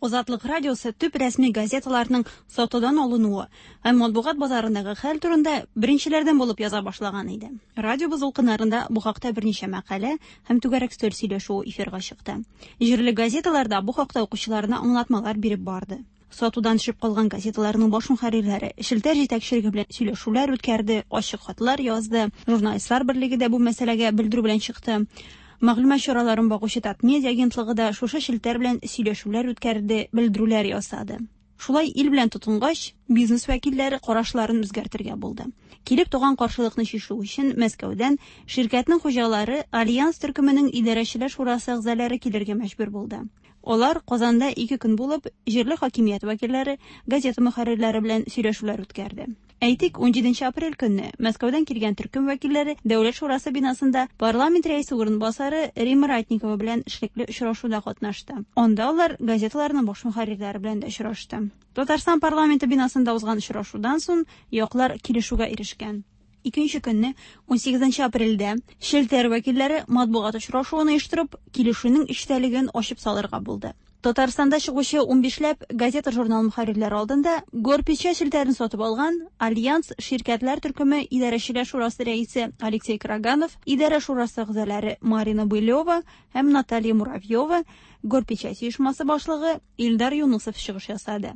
Азатлык радиосы төп рәсми газеталарның сатудан алынуы һәм матбугат базарындагы хәл турында беренчеләрдән булып яза башлаган иде. Радиобыз дулкыннарында бу хакта берничә мәкалә һәм түгәрәк өстәл сөйләшүе эфирга чыкты. Җирле газеталарда бу хакта укучыларына аңлатмалар биреп барды. Сатудан төшеп калган газеталарның баш мөхәррирләре челтәр җитәкчелеге белән сөйләшүләр үткәрде, ачык хатлар язды. Журналистлар берлеге дә бу мәсьәләгә белдерү белән чыкты. Мәгълүмат чараларын багучы Татмедиа агентлыгы да шушы челтәр белән сөйләшүләр үткәрде, белдерүләр ясады. Шулай ил белән тотынгач, бизнес вәкилләре карашларын үзгәртергә булды. Килеп туган каршылыкны чишү өчен Мәскәүдән ширкәтнең хуҗалары Альянс төркеменең идарәчеләр шурасы әгъзалары килергә мәҗбүр булды. Алар Казанда 2 көн булып, җирле хакимият вәкилләре, газета мөхәррирләре белән сөйләшүләр үткәрде. Әйтик, 17 апрель көнне Мәскәүдән килгән төркем вәкилләре Дәүләт шурасы бинасында парламент рәисе урынбасары Римма Ратникова белән эшлекле очрашуда катнашты. Анда алар газеталарның баш мөхәррирләре белән дә очрашты. Татарстан парламенты бинасында узган очрашудан соң яклар килешүгә ирешкән. Икенче көнне, 18 апрельдә, челтәр вәкилләре матбугат очрашуын оештырып, килешүнең эчтәлеген ачып салырга булды. Татарстанда чыгучы унбишләп газета-журнал мөхәррирләре алдында Горпечать челтәрен сатып алган Альянс ширкәтләр төркеме идарәчеләр шурасы рәисе Алексей Караганов, идарә шурасы әгъзалары Марина Былева һәм Наталья Муравьева, Горпечать оешмасы башлыгы Илдар Юнысов чыгыш ясады.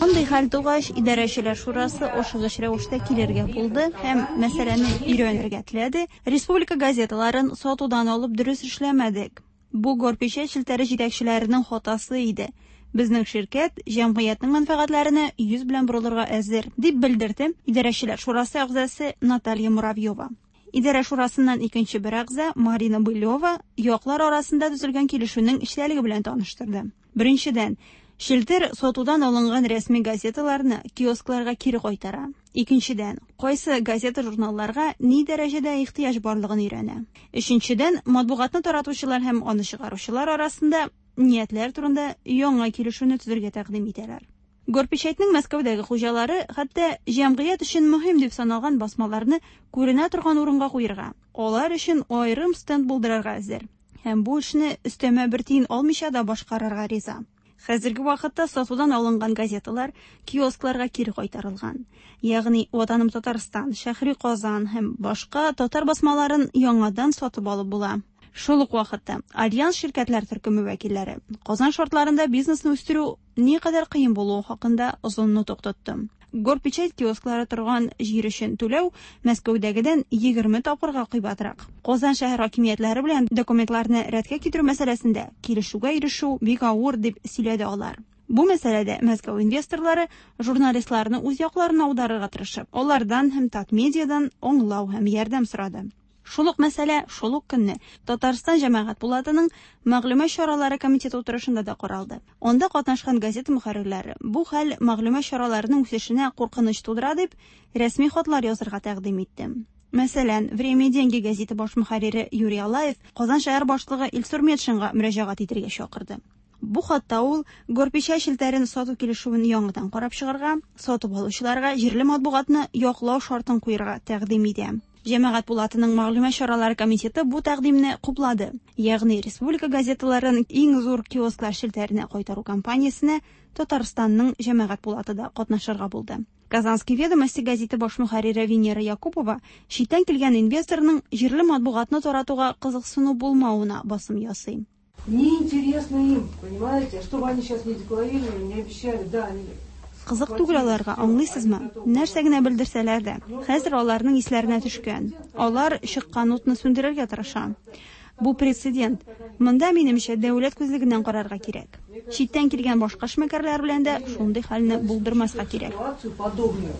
Мондый хәл тугач, идарәчеләр шурасы ашыгыч рәвештә килергә булды һәм мәсьәләне өйрәнергә теләде. Республика газеталарын сатудан алып дөрес эшләмәдек. Бу Горпечать челтәре җитәкчеләренең хатасы иде. Безнең ширкәт җәмгыятьнең мәнфәгатьләренә йөз белән борылырга әзер, дип белдерде идарәчеләр шурасы әгъзасы Наталья Муравьева. Идарә шурасыннан икенче бер әгъза Марина Былева яклар арасында төзелгән килешүнең эчтәлеге белән таныштырды. Беренчедән, челтәр сатудан алынган рәсми газеталарны киоскларга кире кайтара. Икенчедән, кайсы газета-журналларга ни дәрәҗәдә ихтыяҗ барлыгын өйрәнә. Өченчедән, матбугатны таратучылар һәм аны чыгаручылар арасында ниятләр турында яңа килешүне төзергә тәкъдим итәләр. Горпечатьнең Мәскәүдәге хуҗалары хәтта җәмгыять өчен мөһим дип саналган басмаларны күренә торган урынга куерга, алар өчен аерым стенд булдырырга әзер. Һәм бу эшне өстәмә бер тиен алмыйча да башкарырга риза. Хәзерге вакытта сатудан алынган газеталар киоскларга кире кайтарылган. Ягъни Ватаным Татарстан, Шәһри Казан һәм башка татар басмаларын яңадан сатып алып була. Шул ук вакытта Альянс ширкәтләр төркеме вәкилләре Казан шартларында бизнесны үстерү никадәр кыен булуы хакында озын нотык тотты. Горпечать киосклары торган җир өчен түләү Мәскәүдәгедән 20 тапкырга кыйбатрак. Казан шәһәр хакимиятләре белән документларны рәткә китерү мәсьәләсендә килешүгә ирешү бик авыр, дип сөйләде алар. Бу мәсьәләдә Мәскәү инвесторлары журналистларны үз якларына аударырга тырышып, алардан һәм Татмедиадан аңлау һәм ярдәм сорады. Шул ук мәсьәлә шул ук көнне Татарстан Җәмәгать пулатының Мәгълүмат чаралары комитеты утырышында да каралды. Анда катнашкан газета мөхәррирләре бу хәл мәгълүмат чараларының үсешенә куркыныч тудыра дип, рәсми хатлар язырга тәкъдим итте. Мәсәлән, Время и деньги гәзите баш мөхәррире Юрий Алаев Казан шәһәр башлыгы Илсур Метшинга мөрәҗәгать итергә чакырды. Бу хатта ул Горпечать челтәрен сату килешүен яңадан карап чыгарга, сатып алучыларга җирле матбугатны яклау шартын куерга тәкъдим итә. Җәмәгать пулатының мәгълүмат чаралары комитеты бу тәкъдимне хуплады. Ягъни республика газеталарын иң зур киосклар челтәренә кайтару кампаниясенә Татарстанның җәмәгать пулаты да катнашырга булды. Казанские ведомости гәзите баш мөхәррире Венера Якупова читтән килгән инвесторның җирле матбугатны таратуга кызыксыну булмавына басым ясый. Неинтересно им, понимаете? Что бы они сейчас не декларировали, не обещали, да, они Кызык түгел аларга, аңлыйсызмы? Нәрсә генә белдерсәләр дә, хәзер аларның исләренә төшкән. Алар чыккан утны сүндерергә тырыша. Бу прецедент. Монда, минемчә, дәүләт күзлегеннән карарга кирәк. Читтән килгән башка эшмәкәрләр белән дә шундый хәлне булдырмаска кирәк. Ситуацию подобную,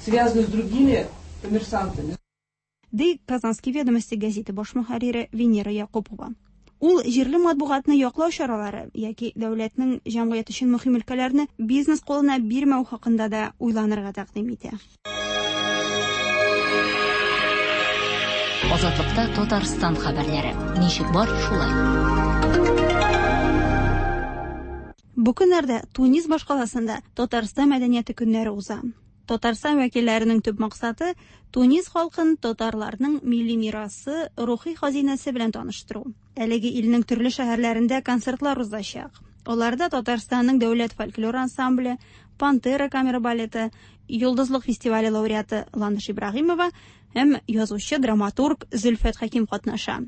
связанную с другими коммерсантами. Ди Казанские ведомости гәзите баш мөхәррире Венера Якупова. Ул җирле матбугатны яклау чаралары яки дәүләтнең җәмгыять өчен мөһим өлкәләрне бизнес кулына бирмәү хакында да уйланырга тәкъдим итә. Азатлыкта Татарстан хәбәрләре. Ничек бар, шулай. Бу көннәрдә Тунис башкаласында Татарстан мәдәнияте көннәре уза. Татарстан вәкилләренең төп максаты Тунис халкын татарларның милли мирасы, рухи хазинәсе белән таныштыру. Әлеге илнең төрле шәһәрләрендә концертлар узачак. Аларда Татарстанның дәүләт фольклор ансамбле, Пантера камера балеты, Йолдызлык фестивале лауреаты Ландыш Ибраһимова һәм язучы драматург Зөлфәт Хәким катнаша.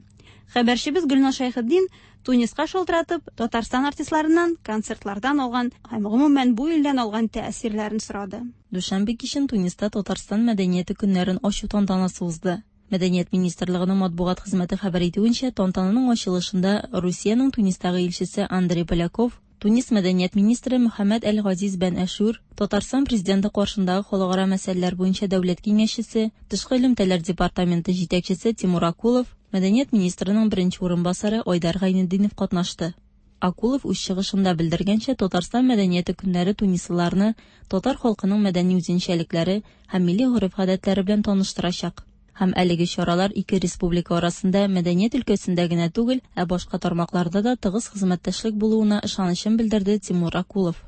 Хәбәрчебез Гөлназ Шәйхетдин Туниска шалтыратып, Татарстан артистларыннан концертлардан алган һәм гомумән бу илдән алган тәэсирләрен сорады. Дүшәмбе кичен Туниста Татарстан мәдәнияте көннәрен ачу тантанасы узды. Мәдәният министрлыгының матбугат хезмәте хәбәр итүенчә, тантананың ачылышында Русиянең Тунистагы илчесе Андрей Поляков, Тунис мәдәният министры Мөхәммәд Әл-Газиз Бән Әшүр, Татарстан президенты каршындагы халыкара мәсьәләләр буенча дәүләт киңәшчесе, тышкы элемтәләр департаменты җитәкчесе Тимур Акулов, мәдәният министрының беренче урынбасары Айдар Гайнетдинов катнашты. Акулов үз чыгышында белдергәнчә, Татарстан мәдәнияте көннәре тунислыларны татар халкының мәдәни үзенчәлекләре һәм милли гореф-гадәтләре белән таныштырачак. Һәм әлеге чаралар ике республика арасында мәдәният өлкәсендә генә түгел, ә башка тармакларда да тыгыз хезмәттәшлек булуына ышанычын белдерде Тимур Акулов.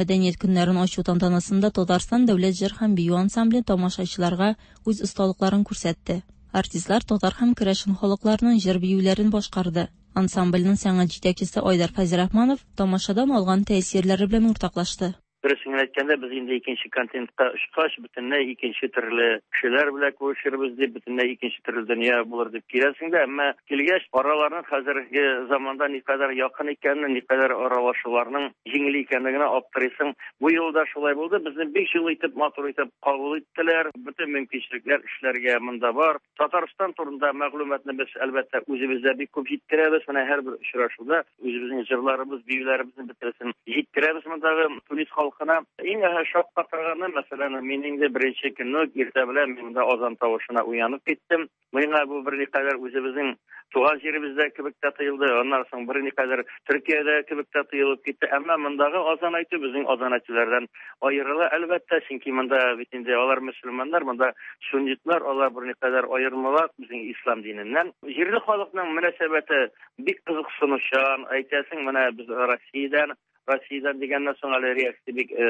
Мәдәният көннәрен ачу тантанасында Татарстан дәүләт җыр һәм бию ансамбле тамашачыларга үз осталыкларын күрсәтте. Артистлар татар һәм керәшен халыкларының җыр-биюләрен башкарды. Ансамбльнең сәнгать җитәкчесе Айдар Фәйзрахманов тамашадан алган тәэсирләре белән уртаклашты. Дөресен генә әйткәндә, без инде икенче континентка очкач, бөтенләй икенче төрле кешеләр белән күрешербез дип, бөтенләй икенче төрле дөнья булыр дип киләсең дә, әмма килгәч, араларның хәзерге заманда никадәр якын икәнен, никадәр аралашуларның җиңел икәнлегенә аптырыйсың. Бу юлы да шулай булды. Безне бик җылы итеп, матур итеп кабул иттеләр. Бөтен мөмкинчелекләр эшләргә монда бар. Татарстан турында мәгълүматны без, әлбәттә, үзебез дә бик күп җиткерәбез. Менә һәрбер очрашуда үзебезнең җырларыбыз, биюләребезне бөтенесен җиткерәбез мондагы Тунис халкына. Иң шаккатырганы, мәсәлән, мин инде беренче көнне үк иртә белән мин монда азан тавышына уянып киттем. Миңа бу берникадәр үзебезнең туган җиребездә кебек тә тоелды, аннан соң берникадәр Төркиядә кебек тә тоелып китте. Әмма мондагы азан әйтү безнең азан әйтүләрдән аерыла, әлбәттә, чөнки монда бит инде алар мөселманнар, монда суннитлар, алар берникадәр аермалар безнең ислам диненнән. Җирле халыкның мөнәсәбәте бик кызыксынучан, әйтәсең, менә без Россиядән, Россиядән дигәннән соң әле реакция бик э,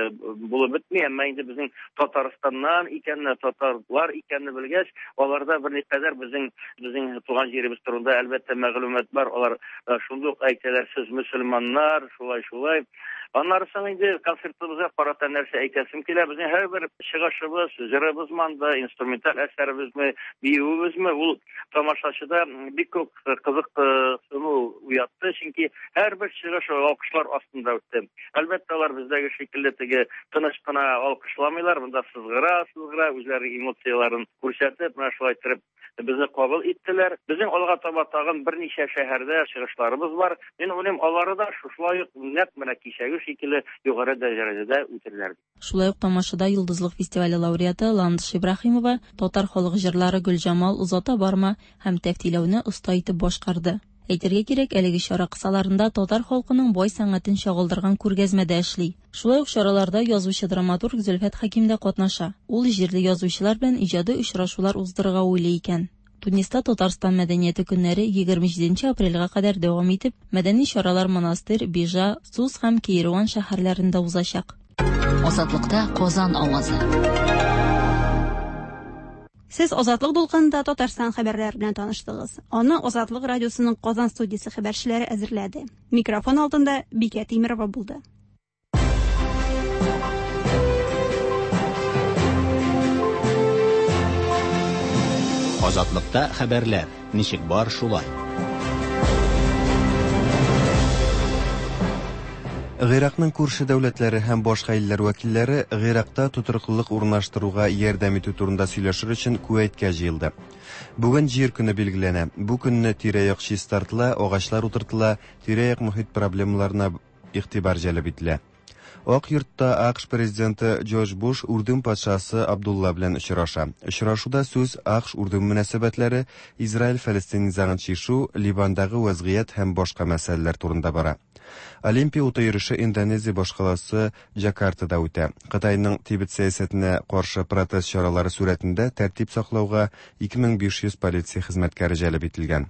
булып бетми, әмма инде безнең Татарстаннан икәнне, татарлар икәнне белгәч, аларда берникадәр безнең безнең туган җиребез турында әлбәттә мәгълүмат бар. Алар э, шундук әйтәләр, сез мөселманнар, шулай шулай. Аннары соң инде концертыбызга карата нәрсә әйтәсем килә. Безнең һәрбер чыгышыбыз, җырыбызмы анда, инструменталь әсәребезме, биюебезме, ул тамашачыда бик күп кызыксыну уятты, чөнки һәрбер чыгыш алкышлар астында үтте. Әлбәттә, алар бездәге шикелле теге тыныч кына алкышламыйлар, монда сызгыра-сызгыра, үзләренең эмоцияләрен күрсәтеп, менә шулай иттереп безне кабул иттеләр. Безнең алга таба тагын берничә шәһәрдә чыгышларыбыз бар. Мин уйлыйм, алары да шушылай ук нәкъ менә кичәге шикелле югары дәрәҗәдә үтерләр. Шулай ук тамашада Йолдызлык фестивале лауреаты Ландыш Ибраһимова татар халык җырлары Гөлҗамал, Озата барма һәм Тәфтиләүне оста итеп башкарды. Әйтергә кирәк, әлеге чара кысаларында татар халкының бай сәнгатен чагылдырган күргәзмә дә эшли. Шулай ук чараларда язучы-драматург Зөлфәт Хәким дә катнаша. Ул җирле язучылар белән иҗади очрашулар уздырырга уйлый икән. Туниста Татарстан мәдәнияте көннәре 27 нче апрельгә кадәр дәвам итеп, мәдәни чаралар Монастырь, Бижа, Сус һәм Кейруан шәһәрләрендә узачак. Азатлыкта Казан авазы. Сез Азатлык дулкынында Татарстан хәбәрләре белән таныштыгыз. Аны Азатлык радиосының Казан студиясе хәбәрчеләре әзерләде. Микрофон алдында Бикә Тимерова булды. Азатлыкта хәбәрләр ничек бар шулай. Гыйракның күрше дәүләтләре һәм башка илләр вәкилләре Гыйракта тотрыклылык урнаштыруга ярдәм итү турында сөйләшер өчен Күвәйткә җыелды. Бүген Җир көне билгеләнә. Бу көнне тирә-як чистартыла, агачлар утыртыла, тирә-як мохит проблемаларына игътибар җәлеп ителә. Ак йортта АКШ президенты Джордж Буш Үрдүн патшасы Абдулла белән очраша. Очрашуда сүз АКШ-Үрдүн мөнәсәбәтләре, Израиль-Фәлестин низагын чишү, Ливандагы вәзгыять һәм башка мәсьәләләр турында бара. Олимпия уты йөреше Индонезия башкаласы Джакартада үтә. Кытайның Тибет сәясәтенә каршы протест чаралары сурәтендә тәртип саклауга 2500 полиция хезмәткәре җәлеп ителгән.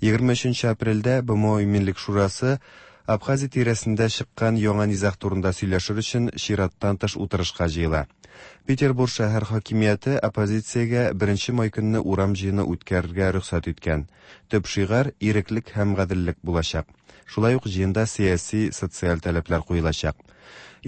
23 нче апрельдә БМО Иминлек шурасы Абхазия тирәсендә чыккан яңа низаг турында сөйләшер өчен чираттан тыш утырышка җыела. Петербург шәһәр хакимияте оппозициягә беренче май көнне урам җыены үткәрергә рөхсәт иткән. Төп шигарь, иреклек һәм гаделлек булачак. Шулай ук җыенда сәяси, социаль таләпләр куелачак.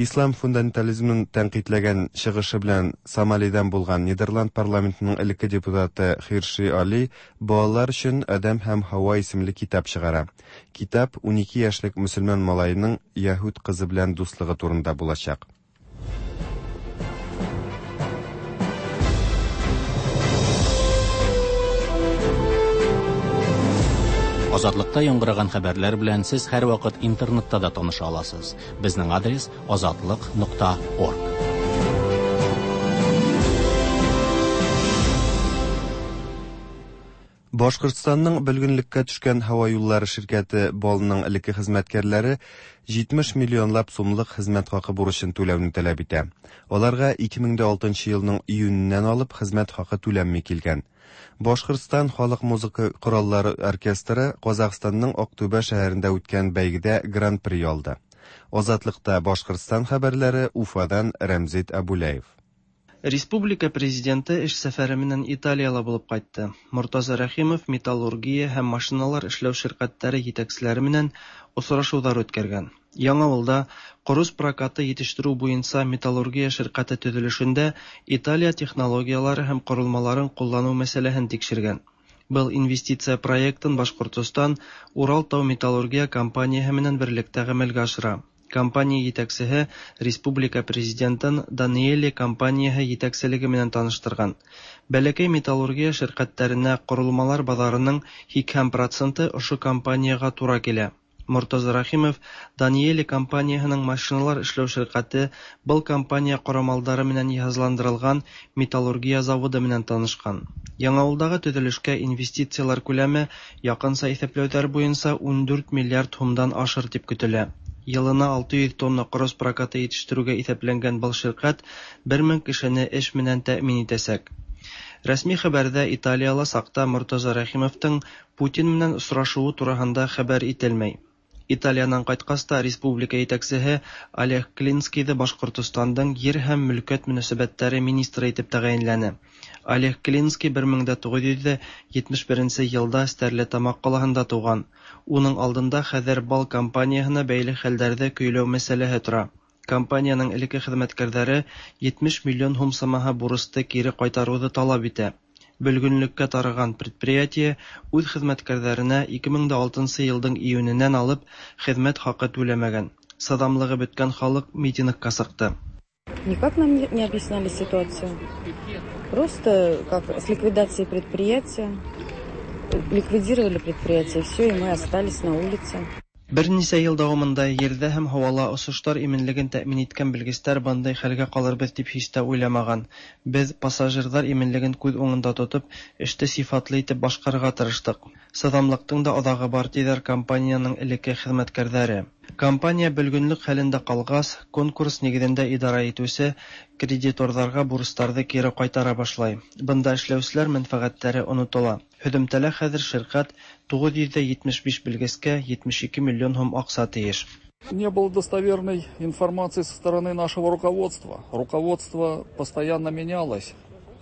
Ислам фундаментализмын тәнкыйтьләгән чыгышы белән Сомалидан булган Нидерланд парламентының элекке депутаты Хирши Али балалар өчен Адәм һәм Һава исемле китап чыгара. Китап 12 яшьлек мөселман малаеның яһүд кызы белән дуслыгы турында булачак. Азатлыкта яңгыраган хәбәрләр белән сез һәрвакыт интернетта да таныша аласыз. Безнең адрес азатлык.орг. Башкортстанның бөлгенлеккә төшкән һава юллары ширкәте БАЛның элекке хезмәткәрләре 70 миллионлап сумлык хезмәт хакы бурычын түләүне таләп итә. Аларга 2006 елның июненнән алып хезмәт хакы түләнми килгән. Башкортстан халык музыка кораллары оркестры Казахстанның Актүбә шәһәрендә үткән бәйгедә гран-при алды. Азатлыкта Башкортстан хәбәрләре Уфадан Рәмзит Абуляев. Республика Президенты эш сәфәре менән Италиялә булып кайтты. Мортаза Рәхимов металлургия һәм машиналар эшләү ширкатьләре җитәкчеләре менән осрашулар үткәргән. Яңавылда корыч прокаты җитештерү буенча металлургия ширкате төзелешендә Италия технологияләре һәм корылмаларын куллану мәсьәләһен тикшергән. Был инвестиция проектын Башкортостан Урал тау-металлургия компанияһе менән берлектә гамәлгә ашыра. Компания җитәкчеһе республика Президентын Даниэли компанияһе җитәкчелеге менән таныштырган. Бәләкәй металлургия ширкәтләренә корылмалар базарының 80 проценты ошо компаниягә тура килә. Мортаза Рәхимов Даниэли компанияһының машиналар эшләү ширкәте был компания корамалдары менән йыһазландырылган металлургия заводы менән танышкан. Яңавылдагы төзелешкә инвестицияләр күләме якынча иҫәпләүҙәр буйынса 14 миллиард һумдан ашыр дип көтөлә. Йылына 600 тонна корыч прокаты етештерүгә иҫәпләнгән был ширкәт 1000 кешене эш менән тәэмин итәсәк. Рәсми хәбәрҙә Италияла саҡта Мортаза Рәхимовтың Путин менән осрашыуы тураһында хәбәр ителмәй. Италиянан ҡайтҡас та республика етәксеһе Олег Клинскийҙы Башҡортостандың ер һәм мөлкәт мөнәсәбәттәре министры итеп тәғәйенләне. Олег Клинский 1971 йылда Стәрлетамаҡ ҡалаһында тыуған. Уның алдында хәҙер бал компанияһына бәйле хәлдәрҙе көйләү мәсьәләһе тора. Компанияның элекке хеҙмәткәрҙәре 70 миллион һум самаһы бурысты кире ҡайтарыуҙы талап итә. Бөлгөнлөккә тарыған предприятие үҙ хеҙмәткәрҙәренә 2006 йылдың июненән алып хеҙмәт хаҡы түләмәгән. Сыҙамлығы бөткән халыҡ митингка сыҡты. Никак нам не объясняли ситуацию. Просто как с ликвидацией предприятия. Ликвидировали предприятие, все, и мы остались на улице. Бер нисә йыл дауамында ерҙә һәм һауала осоштар именлеген тәьмин иткән белгестәр бындай хәлгә ҡалырбыҙ тип һис тә уйламаған. Беҙ пассажирҙар именлеген күҙ уңында тотоп, эште сифатлы итеп башҡарырға тырыштыҡ. Сыҙамлыҡтың да аҙағы бар, тиҙәр компанияның элекке хеҙмәткәрҙәре. Компания бөлгөнлөк хәлендә ҡалғас, конкурс нигеҙендә идара итеүсе кредиторҙарға бурыстарҙы кире ҡайтара башлай. Бында эшләүселәр мәнфәғәттәре онотола. Һөҙөмтәлә хәҙер ширкәт 975 белгескә 72 миллион һум аҡса тейеш. Не было достоверной информации со стороны нашего руководства. Руководство постоянно менялось.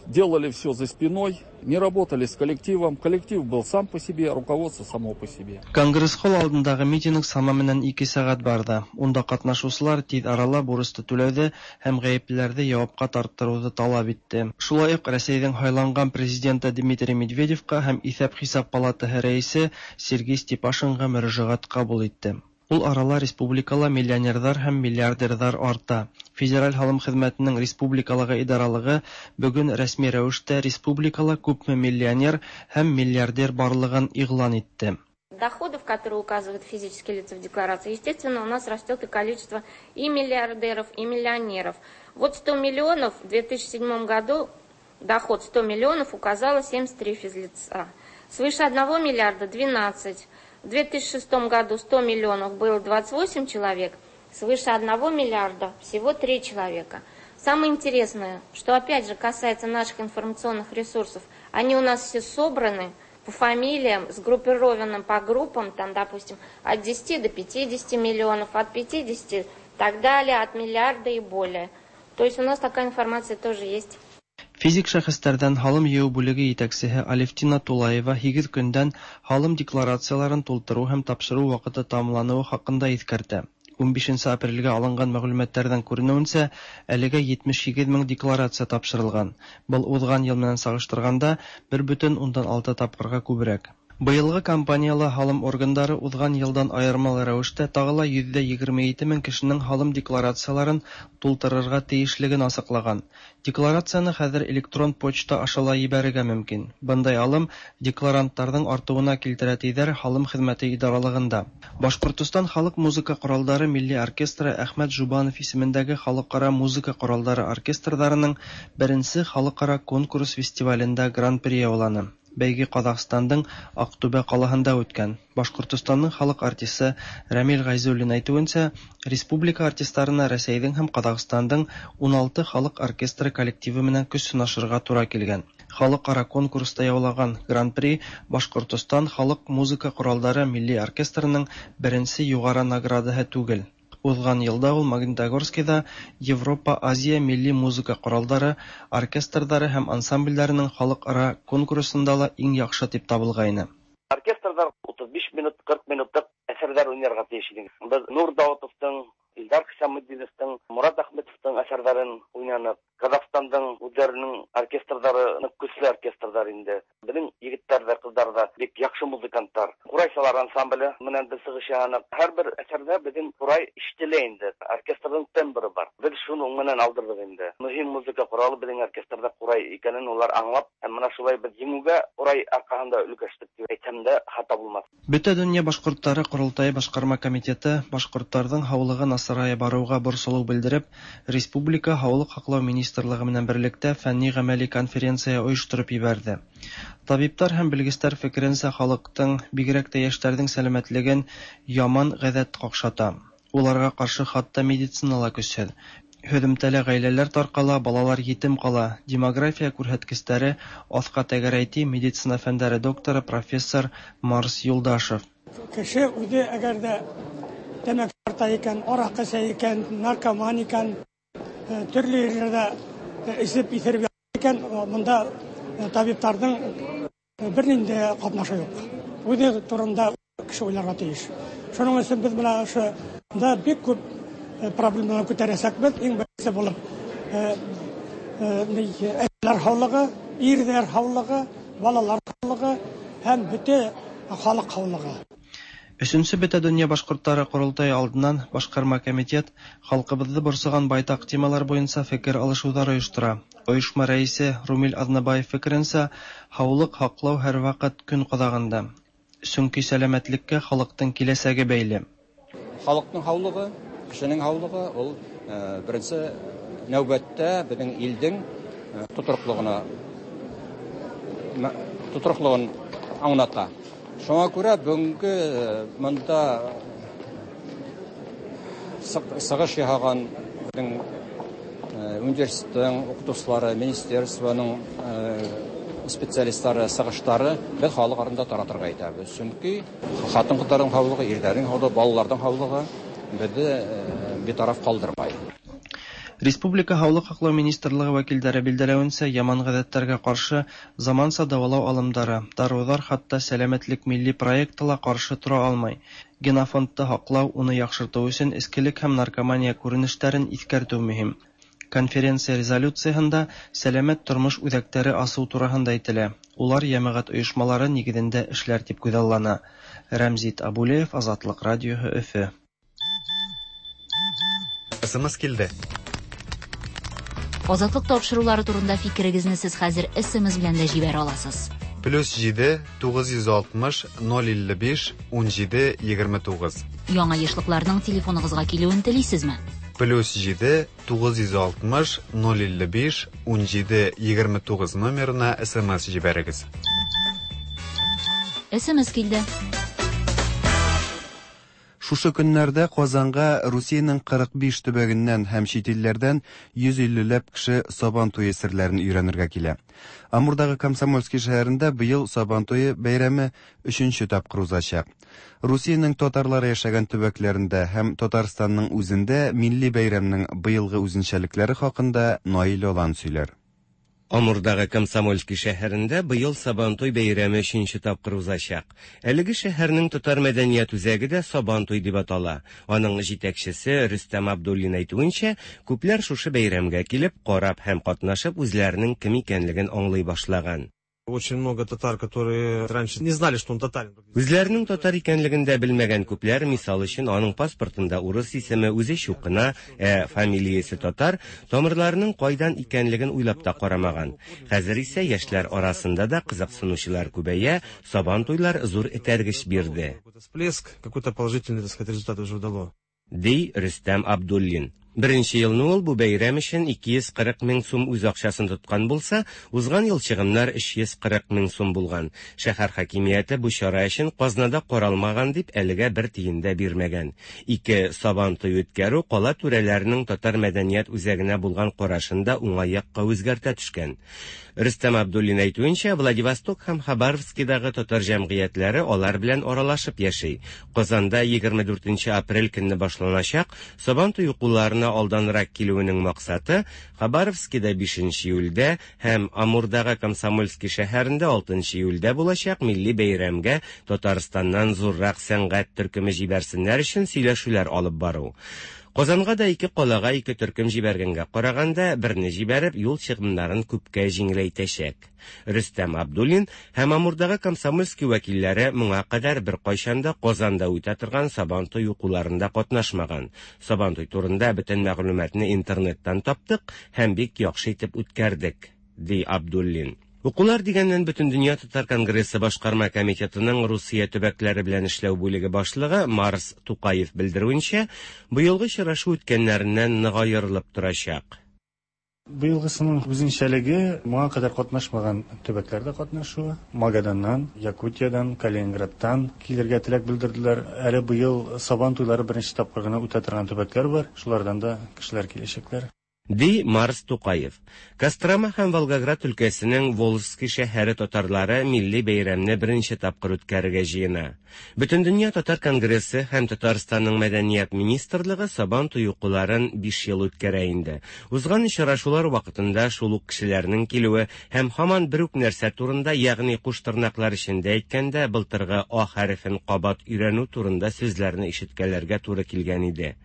Делали все за спиной, не работали с коллективом. Коллектив был сам по себе, руководство само по себе. Конгресс-холл алдындағы митинг сама менән 2 сәғәт барҙы. Унда ҡатнашыусылар тиҙ арала бурысты түләүҙе һәм ғәйеплеләрҙе яуапҡа тарттырыуҙы талап итте. Шулай уҡ Рәсәйҙең һайланған президенты Дмитрий Медведевҡа һәм Иҫәп-хисап палатаһы рәйесе Сергей Степашинға мөрәжәғәт ҡабул итте. Ул арала республикала миллионерҙар һәм миллиардерҙар арта. Федераль һалым хеҙмәтенең республикалағы идаралығы бөгөн рәсми рәүештә республикала күпме миллионер һәм миллиардер барлығын иғлан итте. Доходов, которые указывают физические лица в декларации, естественно, у нас растет и количество и миллиардеров, и миллионеров. Вот 100 миллионов в 2007 году доход 100 миллионов указало 73 физлица. Свыше 1 миллиарда 12. В 2006 году 100 миллионов было 28 человек, свыше 1 миллиарда всего 3 человека. Самое интересное, что опять же касается наших информационных ресурсов, они у нас все собраны по фамилиям, сгруппированы по группам, там, допустим, от 10 до 50 миллионов, от 50 и так далее, от миллиарда и более. То есть у нас такая информация тоже есть. Физик шәхестәрҙән һалым йыйыу бүлеге етәксеһе Алевтина Тулаева 8 көндән һалым декларацияларын тултырыу һәм тапшырыу ваҡыты тамамланыуы хаҡында иҫкәртә. 15 апрелгә алынған мәғлүмәттәрҙән күренеүенсә, әлегә 78 мең декларация тапшырылған. Был уҙған йыл менән сағыштырғанда 1,6 тапҡырға күберәк. Быйылғы кампанияла һалым органдары уҙған йылдан айырмалы рәүештә тағы ла 127 мең кешенең һалым декларацияларын тултырырға тейешлеген асыҡлаған. Декларацияны хәҙер электрон почта аша ла ебәрергә мөмкин. Бындай алым декларанттарҙың артыуына килтерә, тиҙәр һалым хеҙмәте идаралығында. Башҡортостан халыҡ музыка ҡоралдары милли оркестры Әхмәт Жубанов исемендәге халыҡ-ара музыка ҡоралдары оркестрҙарының беренсе халыҡ-ара конкурс фестивалендә гран-при яуланы. Бәйге Ҡаҙағстандың Аҡтүбә ҡалаһында үткән. Башҡортостандың халыҡ артисы Рәмил Ғәйзуллин әйтеүенсә, республика артистарына Рәсәйҙең һәм Ҡаҙағстандың 16 халыҡ оркестры коллективы менән көс һынашырға тура килгән. Халыҡ-ара конкурста яулаған гран-при Башҡортостан халыҡ музыка ҡоралдары милли оркестрының беренсе юғары наградаһы түгел. Узган елда ул Магнитогорскида Европа-Азия милли музыка коралдары оркестрдары һәм ансамбльләренең халыкара конкурсында ла иң яхшы дип табылгайны. Оркестрда 35 минут, 40 минутлык әсәрләр уйнарга тиеш идек. Без Нур Даутовтың, Илдар Хисаметдиновтың, Мурат Әхмәтовтың әсәрләрен уйнанык. Казахстандың үзләренең оркестрдары нык көчле оркестрдар инде. Безнең егетләр дә, кызлар да бик яхшы музыкантлар. Курайчылар ансамбле менән без чыгыш ясадык. Һәрбер әсәрдә безнең курай ишетелә инде. Оркестрның тембры бар. Без шуның менән алдырдык инде. Мөһим музыка коралы безнең оркестрда курай икәнен улар аңлап, һәм менә шулай без җиңүгә курай аркасында өлгәштек дип әйтсәм дә хата булмас. Бөтәдөнья башкортлары корылтае башкарма комитеты башкортларның һаулыгы насарая баруга борчылу белдереп, республика һаулык һаклау министрлыгы менән берлектә фәнни-гамәли конференция оештырып җибәрде. Табиблар һәм белгечләр фикеренчә, халыктың, бигрәк тә яшьләрнең сәламәтлеген яман гадәт какшата. Уларга каршы хатта медицина ла көчһеҙ. Һөҙөмтәлә гаиләләр тарҡала, балалар етем ҡала, демография күрһәткестәре аҫҡа тәгәрәй, ти медицина фәндәре докторы, профессор Марс Юлдашев. Кеше үҙе әгәр ҙә тәмәке тарта икән, араҡы эсә икән, наркоман икән, төрлө ерҙәрҙә эсеп иҫереп икән, бында табиптарҙың бер ниндәй ҡатнашы юҡ. Үҙе турында кеше уйларға тейеш. Шуның өсөн беҙ бына ошонда бик күп проблемалар күтәрәсәкбеҙ. Иң беренсе булып әсәләр һаулығы, ирҙәр һаулығы, балалар һаулығы һәм бөтә халыҡ һаулығы. Өсөнсө Бөтә донъя башҡорттары ҡоролтайы алдынан башҡарма комитет халҡыбыҙҙы борсоған байтаҡ темалар буйынса фекер алышыуҙар ойоштора. Ойошма рәйесе Румил Аҙнабаев фекеренсә, һаулыҡ һаҡлау һәр ваҡыт көн ҡаҙағында. Сөнки сәләмәтлеккә халыҡтың киләсәге бәйле. Халыҡтың һаулығы, кешенең һаулығы ул беренсе нәүбәттә беҙҙең илдең тотрыҡлығын аңлата. Шуңа күрә бөгөнгө мында сығыш яһаған беҙҙең университеттың уҡытыусылары, министерствоның специалисттары сығыштары беҙ халыҡ араһында таратырға итәбеҙ. Сөнки ҡатын-ҡыҙҙарҙың һаулығы, ирҙәрҙең һаулығы, балаларҙың һаулығы беҙҙе битараф ҡалдырмай. Республика һаулыҡ һаҡлау министрлығы вәкилдәре билдәләүенсә, яман ғәҙәттәргә ҡаршы заманса дауалау алымдары, дарыуҙар, хатта Сәләмәтлек милли проекты ла ҡаршы тора алмай. Генофондты һаҡлау, уны яҡшыртыу өсөн эскелек һәм наркомания күренештәрен иҫкәртеү мөһим. Конференция резолюцияһында сәләмәт тормош үҙәктәре асыу тураһында әйтелә. Улар йәмәғәт ойошмалары нигеҙендә эшләр тип күҙаллана. Рәмзит Абулеев, Азатлыҡ радиоһы, Өфө. СМС килде. Азатлык тапшырулары турында фикерегезне сез хәзер СМС белән дә җибәрә аласыз. +7 960 055 17 29. Яңа ешлыкларның телефоныгызга килүен телисезме? +7 960 055 17 29 номерына СМС җибәрегез. СМС килде. Шушы көннәрдә Казанга Русиянең 45 төбәгеннән һәм чит илләрдән 150 ләп кеше Сабан туе серләрен өйрәнергә килә. Амурдагы Комсомольский шәһәрендә быел Сабан туе бәйрәме 3нче тапкыр узачак. Русиянең татарлары яшәгән төбәкләрендә һәм Татарстанның үзендә милли бәйрәмнең быелгы үзенчәлекләре хакында Наил Олан сөйләр. Амурдагы Комсомольский шәһәрендә быел Сабантуй бәйрәме өченче тапкыр узачак. Әлеге шәһәрнең татар мәдәният үзәге дә Сабантуй дип атала. Аның җитәкчесе Рөстәм Абдуллин әйтүенчә, күпләр шушы бәйрәмгә килеп, карап һәм катнашып үзләренең кем икәнлеген аңлый башлаган. Очень много татар, которые раньше не знали, что он татарин. Үзләренең татар икәнлеген дә белмәгән күпләр, мисал өчен, аның паспортында урыс исеме, үзе чукына, ә фамилиясе татар, тамырларының кайдан икәнлеген уйлап та карамаган. Хәзер исә яшьләр арасында да кызыксынучылар күбәя, Сабан туйлар зур этәргеч бирде. Всплеск, какой-то положительный, так сказать, результат уже дало. Ди Рөстәм Абдуллин. Беренче елны ул бу бәйрәм өчен 240 мең сум үз акчасын тоткан булса, узган ел чыгымнар 340 мең сум булган. Шәһәр хакимияте бу чара өчен казнада каралмаган дип әлегә бер тиен дә бирмәгән. Ике Сабантуй үткәрү кала түрәләренең татар мәдәният үзәгенә булган карашын да уңай якка үзгәртә төшкән. Рөстәм Абдуллин әйтүенчә, Владивосток һәм Хабаровскидагы татар җәмгыятьләре алар белән аралашып яши. Казанда 24 нче апрель көнне башланачак Сабантуй укуларына алданрак килүенең максаты, Хабаровскида 5 нче июльдә һәм Амурдагы Комсомольски шәһәрендә 6 нчы июльдә булачак милли бәйрәмгә Татарстаннан зуррак сәнгать төркеме җибәрсеннәр өчен сөйләшүләр алып бару. Казанга да ике калага ике төркем җибәргәнгә караганда, берне җибәреп, юл чыгымнарын күпкә җиңеләйтәчәк. Рөстәм Абдуллин һәм Амурдагы Комсомольский вәкилләре моңа кадәр беркайчан да Казанда үтә торган Сабантуй укуларында катнашмаган. Сабантуй турында бөтен мәгълүматны интернеттан таптык һәм бик яхшы итеп үткәрдек, ди Абдуллин. Укулар дигәннән Бөтендөнья татар конгрессы башкарма комитетының Русия төбәкләре белән эшләү бүлеге башлыгы Марс Тукаев белдерүенчә, быелгы очрашу үткәннәреннән нык аерылып торачак. Быелгысының үзенчәлеге, моңа кадәр катнашмаган төбәкләр дә катнашуы. Магаданнан, Якутиядән, Калининградтан килергә теләк белдерделәр. Әле быел Сабан туйлары беренче тапкыр гына үтә торган төбәкләр бар, шулардан да кешеләр киләчәкләр. Ди Марс Тукаев. Кострома һәм Волгоград өлкәсенең Волжский шәһәре татарлары милли бәйрәмне беренче тапкыр үткәрергә җыена. Бөтендөнья татар конгрессы һәм Татарстанның мәдәният министрлыгы Сабан туе укуларын биш ел үткәрә инде. Узган очрашулар вакытында шул ук кешеләрнең килүе һәм һаман бер үк нәрсә турында, ягъни куш тырнаклар эчендә әйткәндә, былтыргы А хәрефен кабат өйрәнү турында сүзләрне ишеткәләргә туры килгән иде.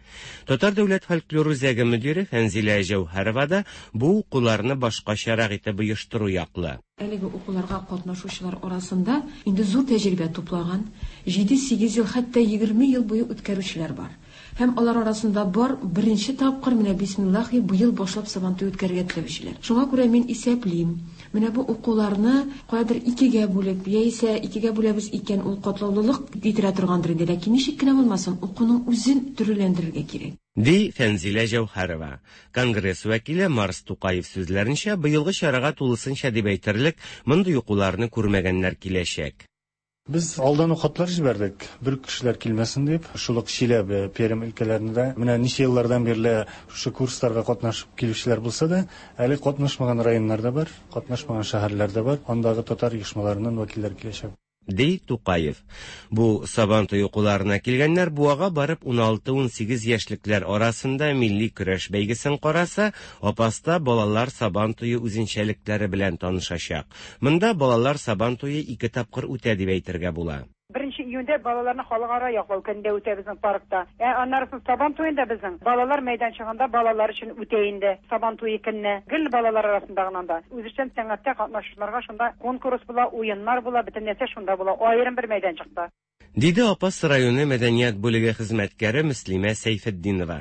Татар дәүләт фольклор үзәге мөдире Фәнзилә Җәүһәрова да бу укуларны башкачарак итеп оештыру яклы. Әлеге укуларга катнашучылар арасында инде зур тәҗрибә туплаган, җиде-сигез ел, хәтта 20 ел буе үткәрүчеләр бар. Һәм алар арасында бар беренче тапкыр менә бисмиллахи быел башлап Сабантуй үткәрергә теләүчеләр. Шуңа күрә мин исәплим, менә бу укуларны каядыр икегә бүлеп, яисә икегә бүләбез икән, ул катлаулылык китерә торгандыр инде, ләкин ничек кенә булмасын, укуның үзен төрлеләндерергә кирәк. Ди Фәнзилә Җәүһәрова. Конгресс вәкиле Марс Тукаев сүзләренчә, быелгы чарага тулысынча дип әйтерлек мондый укуларны күрмәгәннәр киләчәк. Без алдан ук хатлар җибәрдек, бер кешеләр килмәсен дип. Шул ук Чиләбе, Пермь өлкәләрендә дә менә ничә еллардан бирле шушы курсларга катнашып килүчеләр булса да, әле катнашмаган районнар да бар, катнашмаган шәһәрләр дә бар. Андагы татар оешмаларыннан вәкилләр киләчәк. Ди Тукаев. Бу Сабантуй укуларына килгәннәр Буага барып 16-18 яшьлекләр арасында милли көрәш бәйгесен караса, Апаста балалар Сабан туе үзенчәлекләре белән танышачак. Монда балалар Сабан туе ике тапкыр үтә дип әйтергә була. Беренче июньдә балаларны халыкара яклау көнендә үтә безнең паркта. Ә аннары соң Сабан туенда безнең балалар мәйданчыгында балалар өчен үтә инде Сабан туе көнне. Гел балалар арасында гына анда. Үзешчән сәнгатьтә катнашучыларга шунда конкурс була, уеннар була, бөтен нәрсә шунда була, аерым бер мәйданчыкта. Диде Апас районы мәдәният бүлеге хезмәткәре Мөслимә Сәйфетдинова.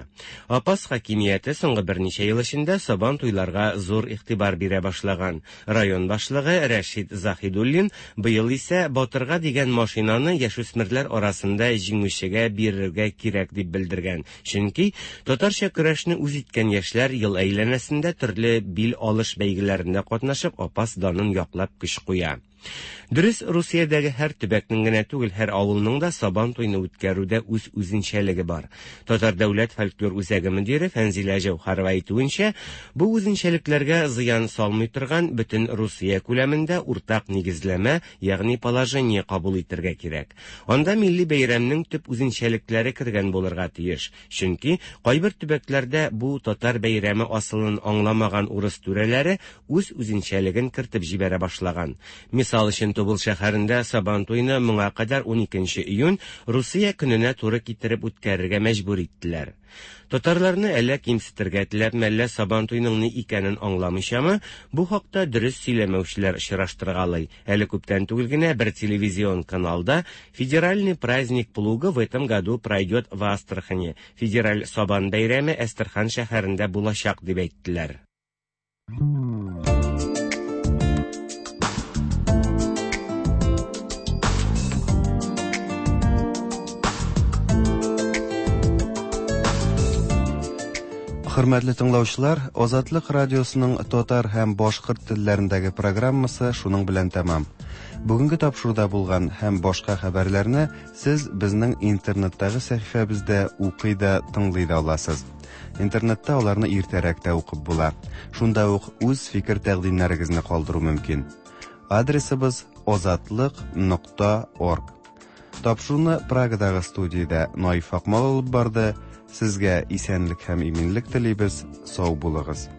Апас хакимияте соңгы берничә ел эчендә Сабан туйларга зур игътибар бирә башлаган. Район башлыгы Рәшит Заһидуллин быел исә Батырга дигән машинаны яшүсмерләр арасында җиңүчегә бирергә кирәк дип белдергән. Чөнки татарча көрәшне үз иткән яшьләр ел әйләнәсендә төрле бил алыш бәйгеләрендә катнашып Апас данын яклап көч куя. Дөрес, Русиядәге һәр төбәкнең генә түгел, һәр авылның да Сабан туйны үткәрүдә үз үзенчәлеге бар. Татар дәүләт фольклор үзәге мөдире Фәнзилә Җәүһәрова әйтүенчә, бу үзенчәлекләргә зыян салмый торган бөтен Русия күләмендә уртак нигезләмә, ягъни положение кабул итергә кирәк. Анда милли бәйрәмнең төп үзенчәлекләре кергән булырга тиеш. Чөнки кайбер төбәкләрдә бу татар бәйрәме асылын аңламаган урыс түрәләре үз үзенчәлеген кертеп җибәрә башлаган. Мисал өчен, Тубыл шәһәрендә Сабантуйны моңа кадәр 12 июнь Русия көненә туры китереп үткәрергә мәҗбүр иттеләр. Татарларны әллә кимсетергә теләпме, әллә Сабантуйның ни икәнен аңламыйчамы, бу хакта дөрес сөйләмәүчеләр очраштыргалый. Әле күптән түгел генә бер телевизион каналда Федеральный праздник плуга в этом году пройдет в Астрахани. Федераль Сабан бәйрәме Әстерхан шәһәрендә булачак дип әйттеләр. Хөрмәтле тыңлаучылар, Азатлык радиосының татар һәм башкорт телләрендәге программасы шуның белән тәмам. Бүгенге тапшыруда булган һәм башка хәбәрләрне сез безнең интернеттагы сәхифәбездә укый да, тыңлый да аласыз. Интернетта аларны иртәрәк тә укып була. Шунда ук үз фикер-тәкъдимнәрегезне калдыру мөмкин. Адресыбыз озатлык.орг. Тапшыруны Прагадагы студиядә Наиф Акмал алып барды. Сезгә исәнлек һәм иминлек телибез. Сау булыгыз.